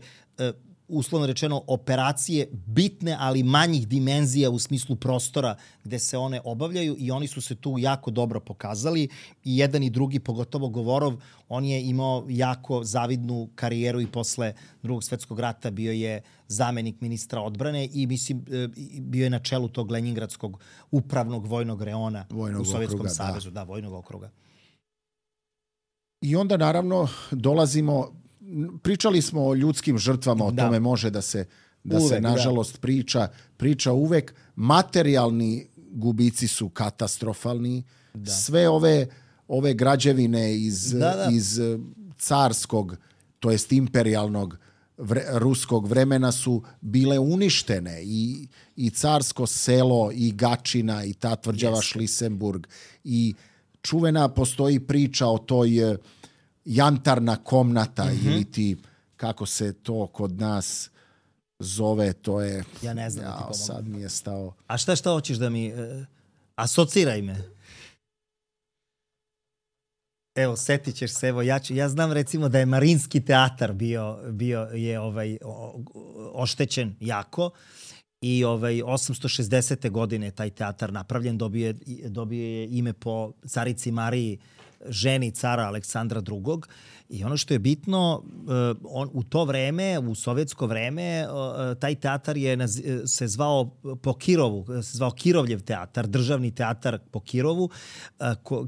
uslovno rečeno operacije bitne, ali manjih dimenzija u smislu prostora gde se one obavljaju i oni su se tu jako dobro pokazali i jedan i drugi, pogotovo Govorov, on je imao jako zavidnu karijeru i posle Drugog svjetskog rata bio je zamenik ministra odbrane i mislim bio je na čelu tog Leningradskog upravnog vojnog reona u Sovjetskom savezu. Da, vojnog okruga.
I onda naravno pričali smo o ljudskim žrtvama, o tome može da se nažalost priča uvek. Materijalni gubici su katastrofalni. Sve ove građevine iz carskog, to jest imperijalnog ruskog vremena su bile uništene i carsko selo i Gačina i ta tvrđava Šlisenburg i čuvena postoji priča o toj jantarna komnata ili ti, kako se to kod nas zove, to je...
Ja ne znam da ti pomogam.
Sad mi je stao...
A šta hoćeš da mi... asociraj me. Evo, setit ćeš se, ja znam recimo da je Marinski teatar bio je oštećen jako i 860. godine taj teatar napravljen, dobio je ime po carici Mariji, ženi cara Aleksandra II. I ono što je bitno, u to vreme, u sovjetsko vreme, taj teatar se zvao po Kirovu, se zvao Kirovljev teatar, državni teatar po Kirovu.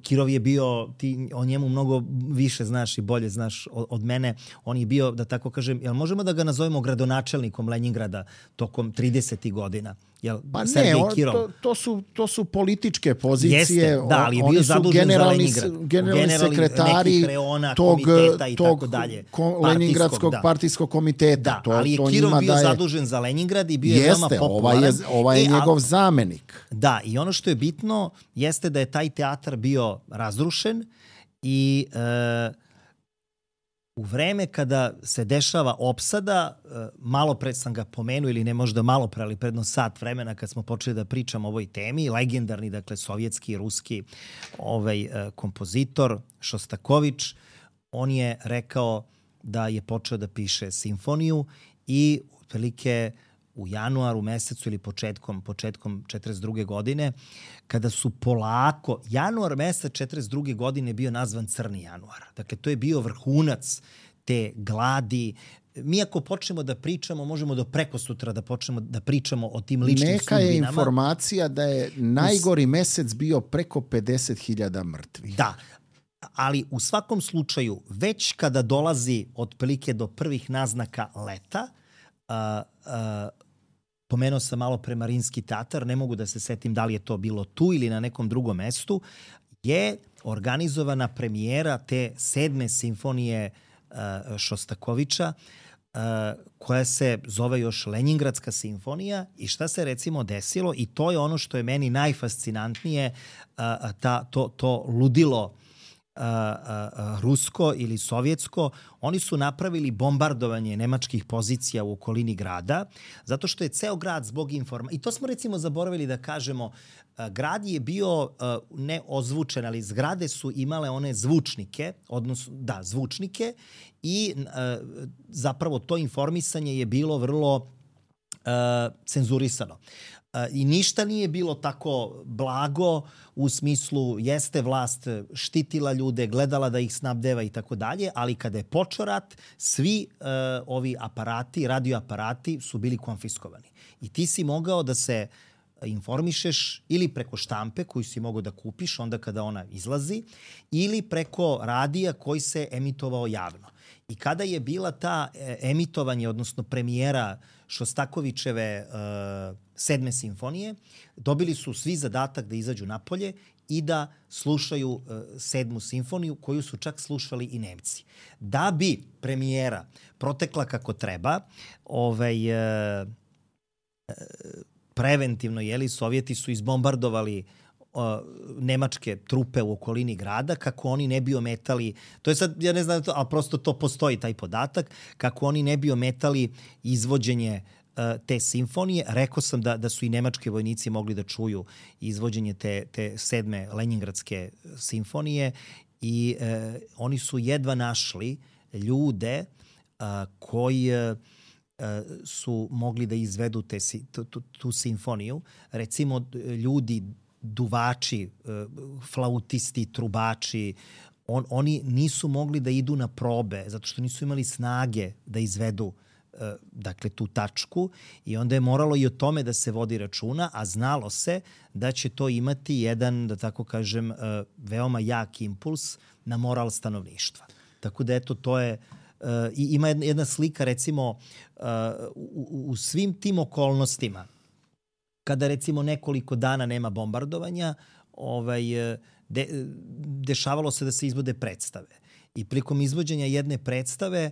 Kirov je bio, ti o njemu mnogo više znaš i bolje znaš od mene, on je bio, da tako kažem, jel možemo da ga nazovemo gradonačelnikom Leningrada tokom 30. godina?
Pa
Sergej Kirov?
To su političke pozicije.
Jeste, da, ali je bio zadužen za Leningrad.
Generalni sekretari tog Leningradskog partijskog komiteta.
Da, ali je Kirov bio zadužen za Leningrad i bio je veoma popularan.
Ovaj je njegov zamenik.
Da, i ono što je bitno jeste da je taj teatar bio razrušen i u vreme kada se dešava opsada, malo pre sam ga pomenuo, ili ne možda malo pre, ali predno sat vremena kad smo počeli da pričamo o ovoj temi, legendarni, dakle, sovjetski, ruski kompozitor Šostakovič, on je rekao da je počeo da piše simfoniju i otprilike u januaru mesecu ili početkom 42. godine, kada su polako, januar mesec 42. godine bio nazvan Crni januar. Dakle, to je bio vrhunac te gladi. Mi ako počnemo da pričamo, možemo do prekosutra da počnemo da pričamo o tim ličnim sudbinama.
Neka je informacija da je najgori mesec bio preko 50.000 mrtvih.
Da, ali u svakom slučaju, već kada dolazi otprilike do prvih naznaka leta, pomenuo sam malo pre Marinski teatar, ne mogu da se setim da li je to bilo tu ili na nekom drugom mestu, je organizovana premijera te 7. simfonije Šostakoviča, koja se zove još Leningradska simfonija. I šta se recimo desilo, i to je ono što je meni najfascinantnije, to ludilo rusko ili sovjetsko, oni su napravili bombardovanje nemačkih pozicija u okolini grada, zato što je ceo grad zbog i to smo recimo zaboravili da kažemo, grad je bio ne ozvučen, ali zgrade su imale one zvučnike, odnosno, da, zvučnike, i zapravo to informisanje je bilo vrlo cenzurisano. I ništa nije bilo tako blago u smislu jeste vlast štitila ljude, gledala da ih snabdeva i tako dalje, ali kada je počeo rat, svi ovi aparati, radioaparati su bili konfiskovani. I ti si mogao da se informišeš ili preko štampe koju si mogao da kupiš onda kada ona izlazi, ili preko radija koji se emitovao javno. I kada je bila ta emitovanje, odnosno premijera Šostakovićeve 7. simfonije, dobili su svi zadatak da izađu napolje i da slušaju 7. simfoniju, koju su čak slušali i Nemci. Da bi premijera protekla kako treba, preventivno, Sovjeti su izbombardovali nemačke trupe u okolini grada, kako oni ne bi ometali, to je sad, ja ne znam, ali prosto to postoji, taj podatak, kako oni ne bi ometali izvođenje te simfonije. Rekao sam da su i nemački vojnici mogli da čuju izvođenje te 7. Leningradske simfonije i oni su jedva našli ljude koji su mogli da izvedu tu simfoniju. Recimo, ljudi, duvači, flautisti, trubači, oni nisu mogli da idu na probe zato što nisu imali snage da izvedu dakle tu tačku, i onda je moralo i o tome da se vodi računa, a znalo se da će to imati jedan, da tako kažem, veoma jak impuls na moral stanovništva. Tako da eto, to je i ima jedna slika, recimo, u svim tim okolnostima, kada recimo nekoliko dana nema bombardovanja, dešavalo se da se izvode predstave. I prilikom izvođenja jedne predstave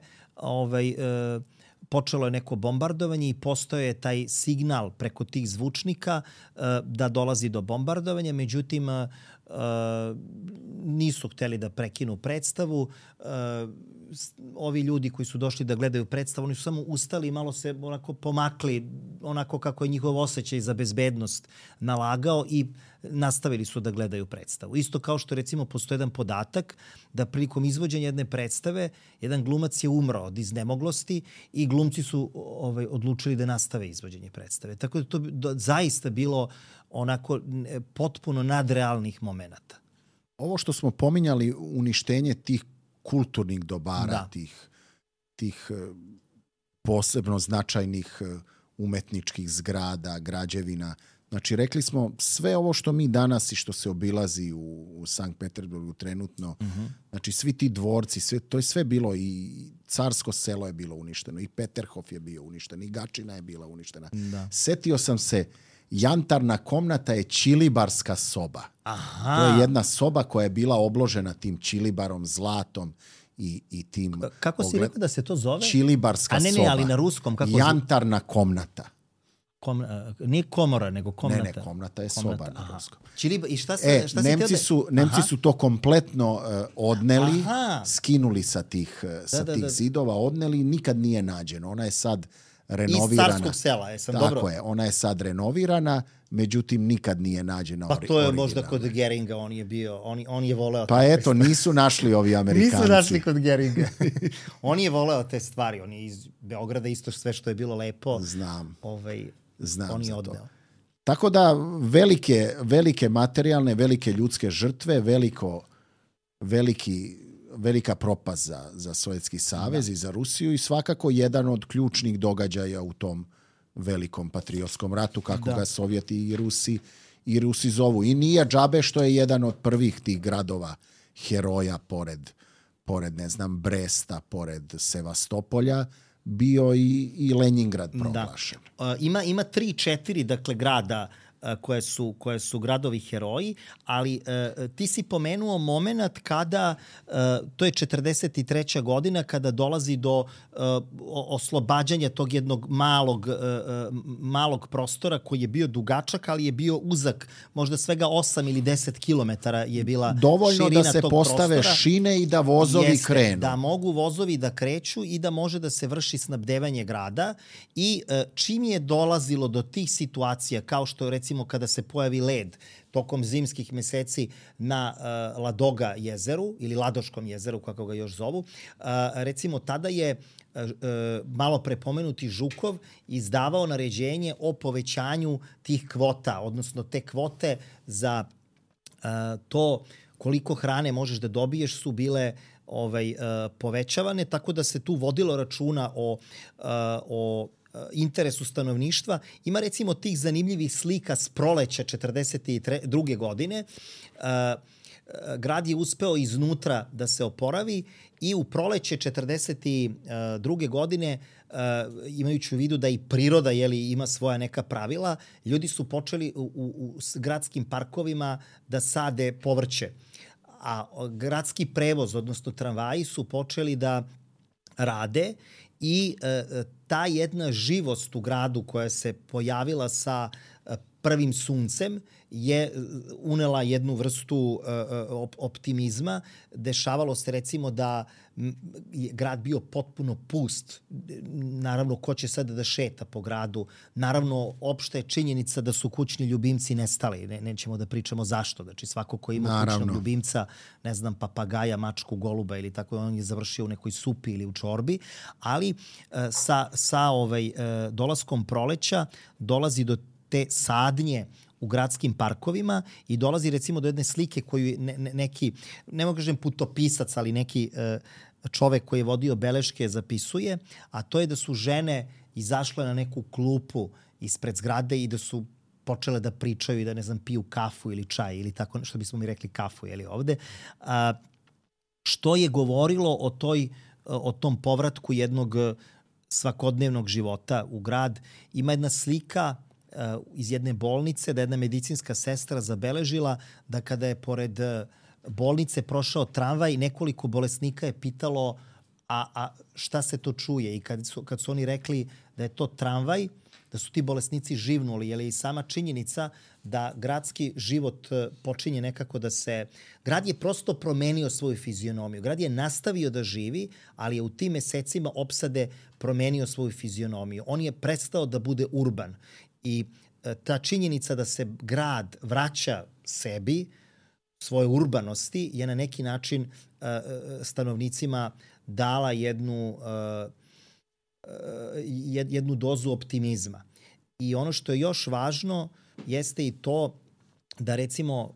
počelo je neko bombardovanje i postoje taj signal preko tih zvučnika da dolazi do bombardovanja, međutim nisu hteli da prekinu predstavu. Ovi ljudi koji su došli da gledaju predstavu, oni su samo ustali i malo se onako pomakli, onako kako je njihov osjećaj za bezbednost nalagao, i nastavili su da gledaju predstavu. Isto kao što recimo postoji jedan podatak da prilikom izvođenja jedne predstave jedan glumac je umro od iznemoglosti i glumci su odlučili da nastave izvođenje predstave. Tako da to zaista bilo onako potpuno nadrealnih momenata.
Ovo što smo pominjali, uništenje tih kulturnih dobara,
da,
tih posebno značajnih umetničkih zgrada, građevina. Znači, rekli smo, sve ovo što mi danas i što se obilazi u Sankt Peterburgu trenutno, znači svi ti dvorci, to je sve bilo, i Carsko selo je bilo uništeno, i Peterhof je bio uništen, i Gačina je bila uništena.
Da.
Setio sam se Jantarna komnata je čilibarska soba.
Aha.
To je jedna soba koja je bila obložena tim čilibarom, zlatom i tim...
Kako si rekao da se to zove?
Čilibarska soba.
A ne, ali na ruskom. Kako
Jantarna komnata.
Nije komora, nego komnata.
Ne, komnata je soba na ruskom.
I šta
Nemci su to kompletno odneli, skinuli sa tih zidova, odneli i nikad nije nađeno. Ona je sad renovirana.
Iz Carskog sela,
Tako je, ona je sad renovirana, međutim nikad nije nađena
originalna. Pa to je možda kod Geringa, on je voleo...
Pa eto, nisu našli ovi Amerikanci.
Nisu našli kod Geringa. On je voleo te stvari, on je iz Beograda isto sve što je bilo lepo.
Znam
on je
za
odneo.
to. Tako da velike materijalne, velike ljudske žrtve, velika propast za Sovjetski savez i za Rusiju i svakako jedan od ključnih događaja u tom velikom patriotskom ratu, kako ga Sovjeti i Rusi zovu. I nije džabe što je jedan od prvih tih gradova heroja pored ne znam, Bresta, pored Sevastopolja, bio i Leningrad proglašen.
Ima 3-4 dakle grada koje su gradovi heroji, ali ti si pomenuo moment kada, to je 43. godina, kada dolazi do oslobađanja tog jednog malog prostora koji je bio dugačak, ali je bio uzak, možda svega 8 ili 10 kilometara je bila
dovoljno
širina
da se
tog
postave
prostora.
Šine i da vozovi krenu.
Da mogu vozovi da kreću i da može da se vrši snabdevanje grada i čim je dolazilo do tih situacija, kao što recimo kada se pojavi led tokom zimskih meseci na Ladoga jezeru ili Ladoškom jezeru, kako ga još zovu, recimo tada je malo prepomenuti Žukov izdavao naređenje o povećanju tih kvota, odnosno te kvote za to koliko hrane možeš da dobiješ su bile povećavane, tako da se tu vodilo računa o interesu stanovništva. Ima recimo tih zanimljivih slika s proleća 42. godine. Grad je uspeo iznutra da se oporavi i u proleće 42. godine, imajući u vidu da i priroda ima svoja neka pravila, ljudi su počeli u gradskim parkovima da sade povrće. A gradski prevoz, odnosno tramvaji, su počeli da rade i ta jedna živost u gradu koja se pojavila sa prvim suncem je unela jednu vrstu optimizma. Dešavalo se recimo da je grad bio potpuno pust. Naravno, ko će sada da šeta po gradu? Naravno, opšta je činjenica da su kućni ljubimci nestali. Nećemo da pričamo zašto. Znači, svako ko ima kućnog ljubimca, ne znam, papagaja, mačku, goluba ili tako, on je završio u nekoj supi ili u čorbi. Ali sa dolaskom proleća dolazi do te sadnje u gradskim parkovima i dolazi recimo do jedne slike koju neki, ne mogu kažem putopisac, ali neki čovek koji je vodio beleške zapisuje, a to je da su žene izašle na neku klupu ispred zgrade i da su počele da pričaju i da, ne znam, piju kafu ili čaj ili tako, što bismo mi rekli kafu, jeli ovde. Što je govorilo o tom povratku jednog svakodnevnog života u grad. Ima jedna slika iz jedne bolnice, da jedna medicinska sestra zabeležila da kada je pored bolnice prošao tramvaj, nekoliko bolesnika je pitalo a šta se to čuje? I kad su oni rekli da je to tramvaj, da su ti bolesnici živnuli, jer je i sama činjenica da gradski život počinje nekako da se... Grad je prosto promenio svoju fizionomiju. Grad je nastavio da živi, ali je u tim mesecima opsade promenio svoju fizionomiju. On je prestao da bude urban. I ta činjenica da se grad vraća sebi, svoje urbanosti, je na neki način stanovnicima dala jednu dozu optimizma. I ono što je još važno jeste i to da recimo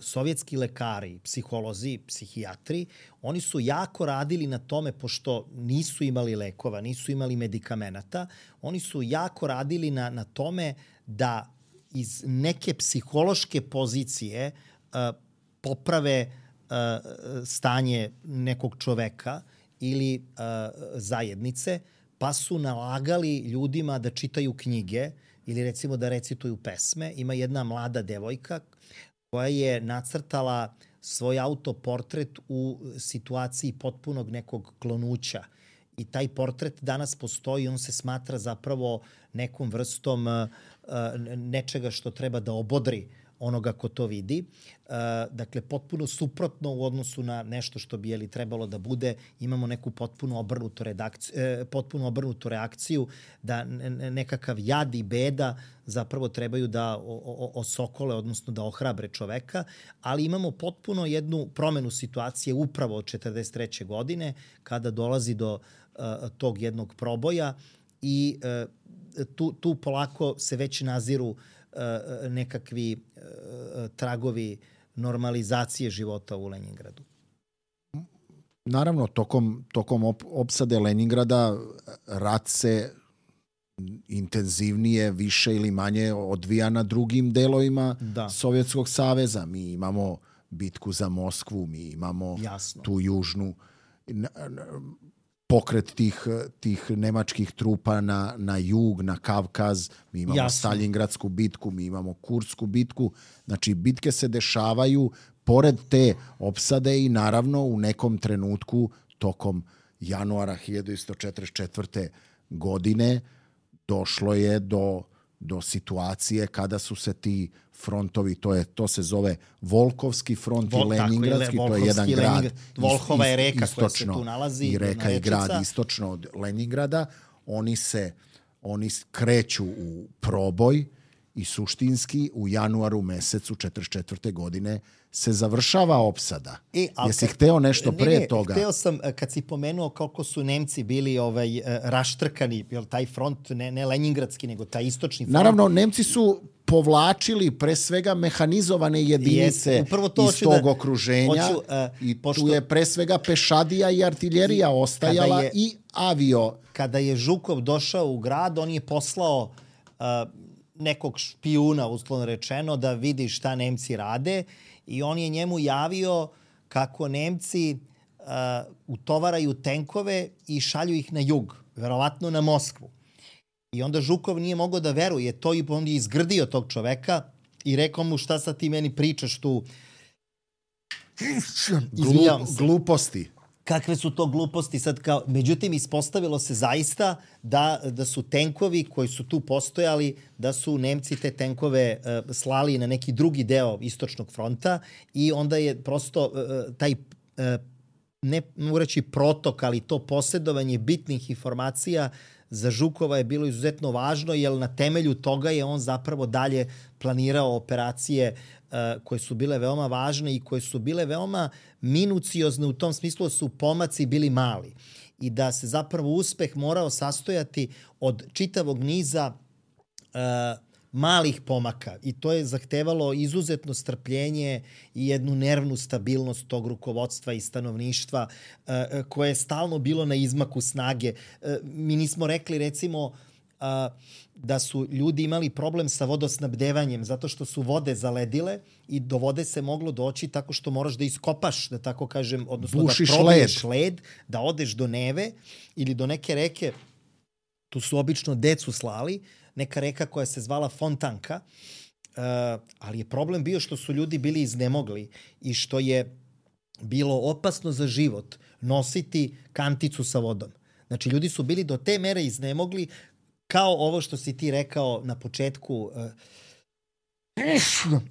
sovjetski lekari, psiholozi, psihijatri, oni su jako radili na tome, pošto nisu imali lekova, nisu imali medikamenata, oni su jako radili na tome da iz neke psihološke pozicije poprave stanje nekog čoveka ili zajednice, pa su nalagali ljudima da čitaju knjige ili recimo da recituju pesme. Ima jedna mlada devojka koja je nacrtala svoj autoportret u situaciji potpunog nekog klonuća. I taj portret danas postoji, on se smatra zapravo nekom vrstom nečega što treba da obodri onoga ko to vidi. Dakle, potpuno suprotno u odnosu na nešto što bi trebalo da bude. Imamo neku potpuno obrnutu reakciju da nekakav jad i beda zapravo trebaju da osokole, odnosno da ohrabre čoveka, ali imamo potpuno jednu promenu situacije upravo od 43. godine kada dolazi do tog jednog proboja i tu polako se već naziru nekakvi tragovi normalizacije života u Leningradu.
Naravno, tokom opsade Leningrada rat se intenzivnije, više ili manje odvija na drugim delovima Sovjetskog saveza. Mi imamo bitku za Moskvu, mi imamo tu južnu pokret tih nemačkih trupa na jug, na Kavkaz, mi imamo Stalingradsku bitku, mi imamo Kursku bitku. Znači, bitke se dešavaju pored te opsade i naravno u nekom trenutku tokom januara 1944. godine došlo je do situacije kada su se ti frontovi, to se zove Volkovski front i Leningradski, to je jedan grad.
Volhova je reka koja se tu nalazi.
I reka i grad istočno od Leningrada. Oni kreću u proboj i suštinski u januaru mesecu 1944. godine se završava opsada. Jesi hteo nešto pre toga?
Hteo sam, kad si pomenuo koliko su Nemci bili raštrkani, taj front, ne Leningradski, nego taj istočni front.
Naravno, Nemci su povlačili pre svega mehanizovane jedinice iz tog okruženja i tu je pre svega pešadija i artiljerija ostajala i avio.
Kada je Žukov došao u grad, on je poslao nekog špijuna, uslovno rečeno, da vidi šta Nemci rade i on je njemu javio kako Nemci utovaraju tenkove i šalju ih na jug, verovatno na Moskvu. I onda Žukov nije mogao da veruje to i on je izgrdio tog čoveka i rekao mu šta sad ti meni pričaš tu.
Gluposti.
Kakve su to gluposti sad kao... Međutim, ispostavilo se zaista da su tenkovi koji su tu postojali, da su Nemci te tenkove slali na neki drugi deo istočnog fronta i onda je prosto taj, ne mogu reći protok, ali to posjedovanje bitnih informacija za Žukova je bilo izuzetno važno, jer na temelju toga je on zapravo dalje planirao operacije koje su bile veoma važne i koje su bile veoma minuciozne u tom smislu da su pomaci bili mali i da se zapravo uspeh morao sastojati od čitavog niza malih pomaka i to je zahtevalo izuzetno strpljenje i jednu nervnu stabilnost tog rukovodstva i stanovništva koje je stalno bilo na izmaku snage. Mi nismo rekli recimo da su ljudi imali problem sa vodosnabdevanjem zato što su vode zaledile i do vode se moglo doći tako što moraš da iskopaš, da tako kažem, odnosno
bušiš
da probiješ led, da odeš do Neve ili do neke reke, tu su obično decu slali, neka reka koja se zvala Fontanka, ali je problem bio što su ljudi bili iznemogli i što je bilo opasno za život nositi kanticu sa vodom. Znači, ljudi su bili do te mere iznemogli kao ovo što si ti rekao na početku.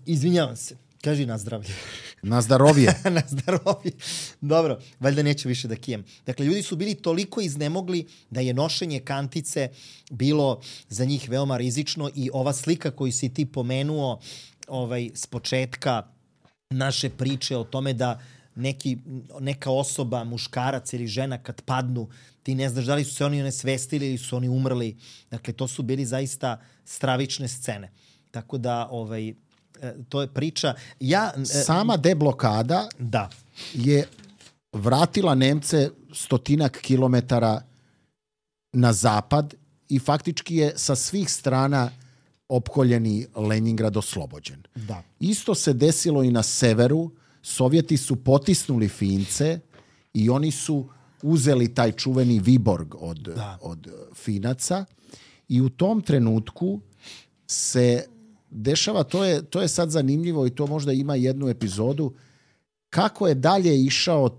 Izvinjavam se. Kaži na zdravlje.
Na zdravlje.
Na zdravlje. Dobro, valjda neću više da kijem. Dakle, ljudi su bili toliko iznemogli da je nošenje kantice bilo za njih veoma rizično i ova slika koju si ti pomenuo s početka naše priče o tome da neka osoba, muškarac ili žena kad padnu, ti ne znaš da li su se oni onesvestili ili su oni umrli. Dakle, to su bili zaista stravične scene. Tako da, to je priča.
Sama deblokada je vratila Nemce 100 kilometara na zapad i faktički je sa svih strana opkoljeni Leningrad oslobođen.
Da.
Isto se desilo i na severu. Sovjeti su potisnuli Fince i oni su uzeli taj čuveni Viborg od Finaca I u tom trenutku se dešava, to je sad zanimljivo i to možda ima jednu epizodu, kako je dalje išao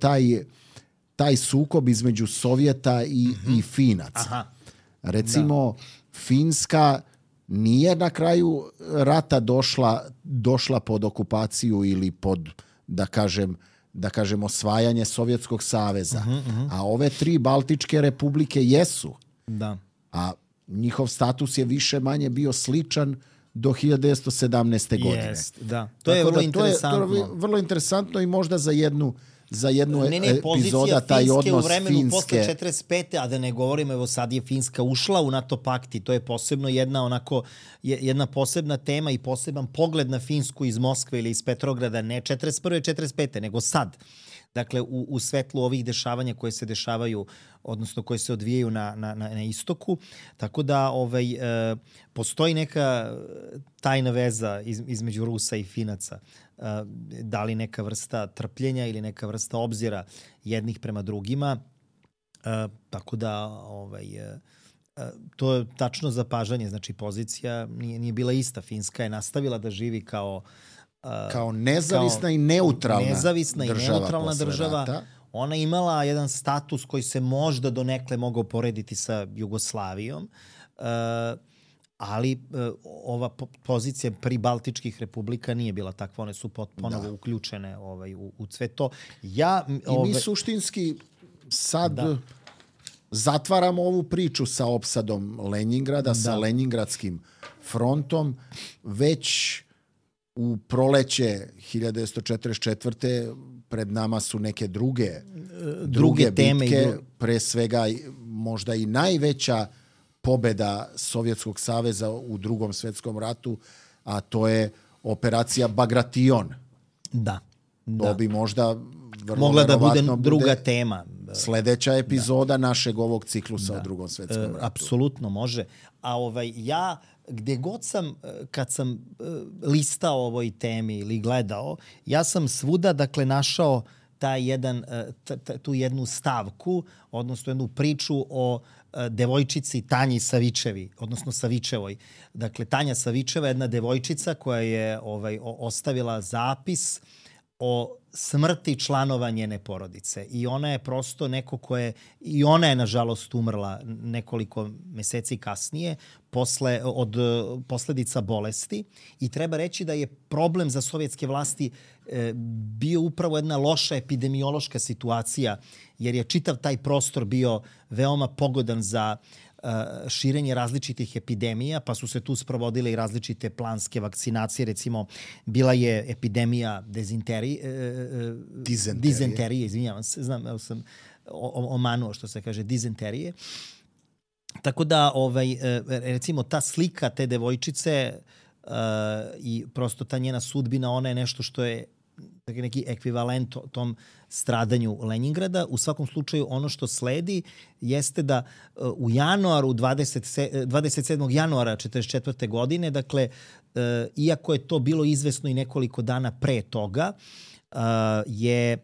taj sukob između Sovjeta i Finaca.
Aha.
Recimo, Finska nije na kraju rata došla pod okupaciju ili pod, da kažem, osvajanje Sovjetskog saveza. A ove 3 Baltičke republike jesu.
Da.
A njihov status je više manje bio sličan do 1917. godine.
Jest, da. To je vrlo interesantno.
To je vrlo interesantno i možda za jednu epizoda taj odnos
u vremenu
Finske.
Posle 45. A da ne govorimo, evo sad je Finska ušla u NATO pakt i to je posebno jedna posebna tema i poseban pogled na Finsku iz Moskve ili iz Petrograda, ne 41. 45. nego sad. Dakle, u svetlu ovih dešavanja koje se dešavaju, odnosno koje se odvijaju na istoku. Tako da postoji neka tajna veza između Rusa i Finaca. Da li neka vrsta trpljenja ili neka vrsta obzira jednih prema drugima. Tako da to je tačno zapažanje. Znači, pozicija nije bila ista. Finska je nastavila da živi kao
nezavisna i neutralna država.
Ona je imala jedan status koji se možda donekle mogao porediti sa Jugoslavijom, ali ova pozicija pri Baltičkih republika nije bila takva. One su ponovo uključene u sve to.
Mi suštinski sad zatvaramo ovu priču sa opsadom Leningrada, sa Leningradskim frontom. Već u proleće 1944. pred nama su neke druge bitke, pre svega možda i najveća pobeda Sovjetskog saveza u Drugom svjetskom ratu, a to je operacija Bagration.
Da.
To bi možda
mogla da bude druga tema.
Sledeća epizoda našeg ovog ciklusa o Drugom svjetskom ratu.
Apsolutno može. A ja gde god kad sam listao o ovoj temi ili gledao, ja sam svuda, dakle, našao tu jednu stavku, odnosno jednu priču o devojčici Tanji Savičevi, odnosno Savičevoj. Dakle, Tanja Savičeva je jedna devojčica koja je ostavila zapis o smrti članova njene porodice. I ona je prosto neko i ona je nažalost umrla nekoliko meseci kasnije od posledica bolesti. I treba reći da je problem za sovjetske vlasti bio upravo jedna loša epidemiološka situacija, jer je čitav taj prostor bio veoma pogodan za širenje različitih epidemija, pa su se tu sprovodile i različite planske vakcinacije. Recimo, bila je epidemija dizenterije, izvinjavam se, znam, evo sam omanuo što se kaže, dizenterije. Tako da, recimo, ta slika te devojčice i prosto ta njena sudbina, ona je nešto što je neki ekvivalent tom stradanju Leningrada. U svakom slučaju, ono što sledi jeste da u januaru, 27. januara 1944. godine, dakle, iako je to bilo izvesno i nekoliko dana pre toga, je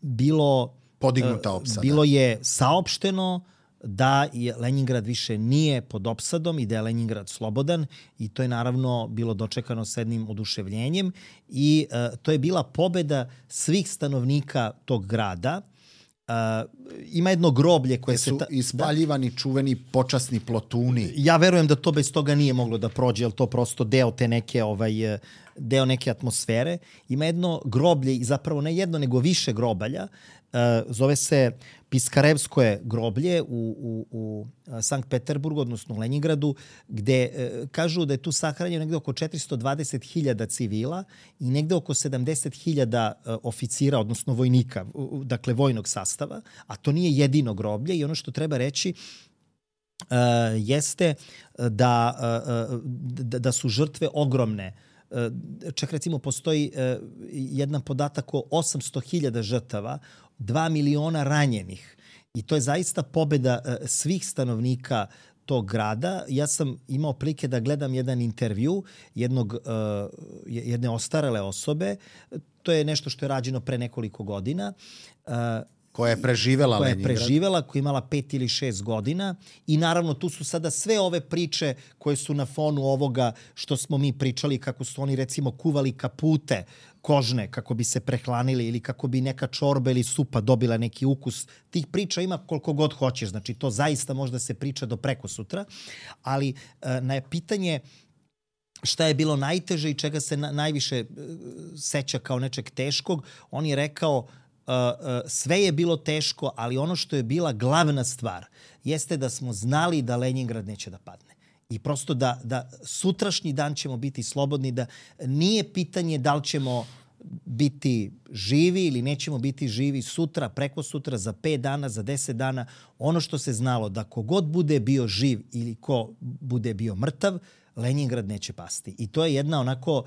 bilo
podignuta opsada.
Bilo je saopšteno da je Leningrad više nije pod opsadom i da je Leningrad slobodan, i to je naravno bilo dočekano s jednim oduševljenjem i to je bila pobeda svih stanovnika tog grada. Ima jedno groblje koje
su ispaljivani čuveni počasni plotuni.
Ja verujem da to bez toga nije moglo da prođe, jer to prosto deo te neke deo neke atmosfere. Ima jedno groblje, zapravo ne jedno, nego više grobalja. Zove se Piskarevskoje groblje u Sankt Peterburgu, odnosno u Leningradu, gde kažu da je tu sahranjeno negde oko 420.000 civila i negde oko 70.000 oficira, odnosno vojnika, dakle vojnog sastava, a to nije jedino groblje. I ono što treba reći jeste da su žrtve ogromne. Čak recimo postoji jedan podatak o 800.000 žrtava, 2 miliona ranjenih. I to je zaista pobeda svih stanovnika tog grada. Ja sam imao prilike da gledam jedan intervju jedne ostarele osobe. To je nešto što je rađeno pre nekoliko godina.
Koja je preživela Leningrad.
Koja je imala 5 ili 6 godina. I naravno tu su sada sve ove priče koje su na fonu ovoga što smo mi pričali, kako su oni recimo kuvali kapute kožne kako bi se prehlanili ili kako bi neka čorba ili supa dobila neki ukus. Tih priča ima koliko god hoćeš. Znači to zaista možda se priča do prekosutra. Ali na pitanje šta je bilo najteže i čega se najviše seća kao nečeg teškog, on je rekao sve je bilo teško, ali ono što je bila glavna stvar jeste da smo znali da Leningrad neće da padne. I prosto da sutrašnji dan ćemo biti slobodni, da nije pitanje da li ćemo biti živi ili nećemo biti živi sutra, preko sutra, za 5 dana, za 10 dana. Ono što se znalo da kogod bude bio živ ili ko bude bio mrtav, Leningrad neće pasti. I to je jedna onako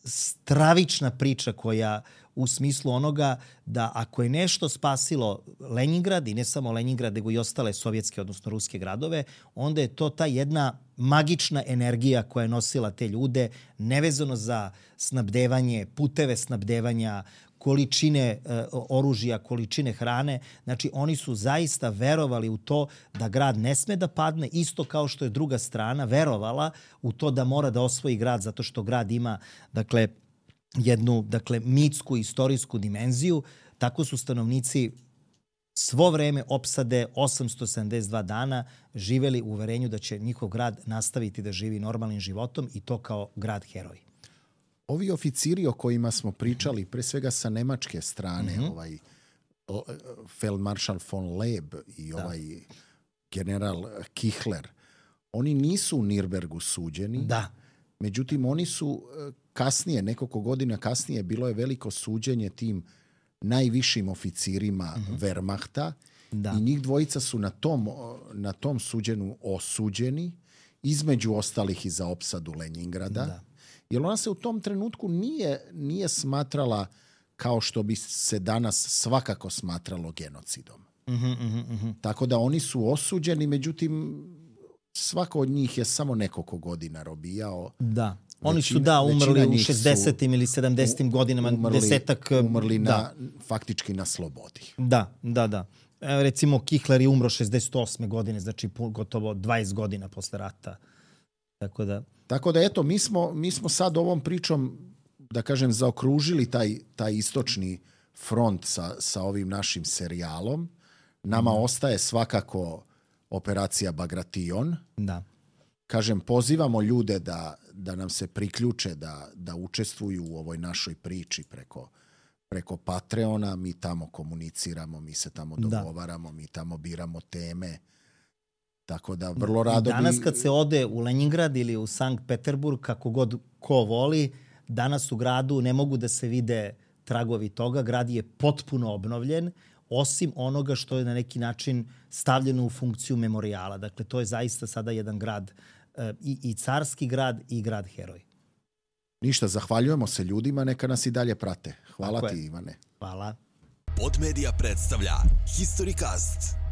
stravična priča koja u smislu onoga da ako je nešto spasilo Leningrad, i ne samo Leningrad, nego i ostale sovjetske, odnosno ruske gradove, onda je to ta jedna magična energija koja je nosila te ljude, nevezano za snabdevanje, puteve snabdevanja, količine oružja, količine hrane. Znači, oni su zaista verovali u to da grad ne sme da padne, isto kao što je druga strana verovala u to da mora da osvoji grad, zato što grad ima, dakle, jednu, mitsku, istorijsku dimenziju. Tako su stanovnici svo vreme opsade 872 dana živeli u uverenju da će njihov grad nastaviti da živi normalnim životom i to kao grad heroj.
Ovi oficiri o kojima smo pričali, pre svega sa nemačke strane, Feldmaršal von Leb i ovaj general Kichler, oni nisu u Nirnbergu suđeni.
Da.
Međutim, oni su kasnije, nekoliko godina kasnije, bilo je veliko suđenje tim najvišim oficirima Wehrmachta i njih dvojica su na tom suđenju osuđeni, između ostalih i za opsadu Leningrada. Da. Jer ona se u tom trenutku nije smatrala kao što bi se danas svakako smatralo genocidom. Tako da oni su osuđeni, međutim, svako od njih je samo nekoliko godina robijao.
Da. Oni su umrli u 60. ili 70. godinama.
Umrli faktički na slobodi.
Da. Recimo, Kichler je umro 68. godine, znači gotovo 20 godina posle rata. Tako da eto, mi smo sad ovom pričom, da kažem, zaokružili taj istočni front sa ovim našim serijalom. Nama ostaje svakako operacija Bagration. Da.
Kažem, pozivamo ljude da nam se priključe, da učestvuju u ovoj našoj priči preko Patreona. Mi tamo komuniciramo, mi se tamo dogovaramo, mi tamo biramo teme. Tako da vrlo rado
danas kad se ode u Leningrad ili u Sankt Peterburg, kako god ko voli, danas u gradu ne mogu da se vide tragovi toga. Grad je potpuno obnovljen, osim onoga što je na neki način stavljeno u funkciju memorijala. Dakle, to je zaista sada jedan grad, i carski grad i grad heroj.
Ništa, zahvaljujemo se ljudima, neka nas i dalje prate. Hvala ti, Ivane.
Hvala.
Podmedia predstavlja Historicast.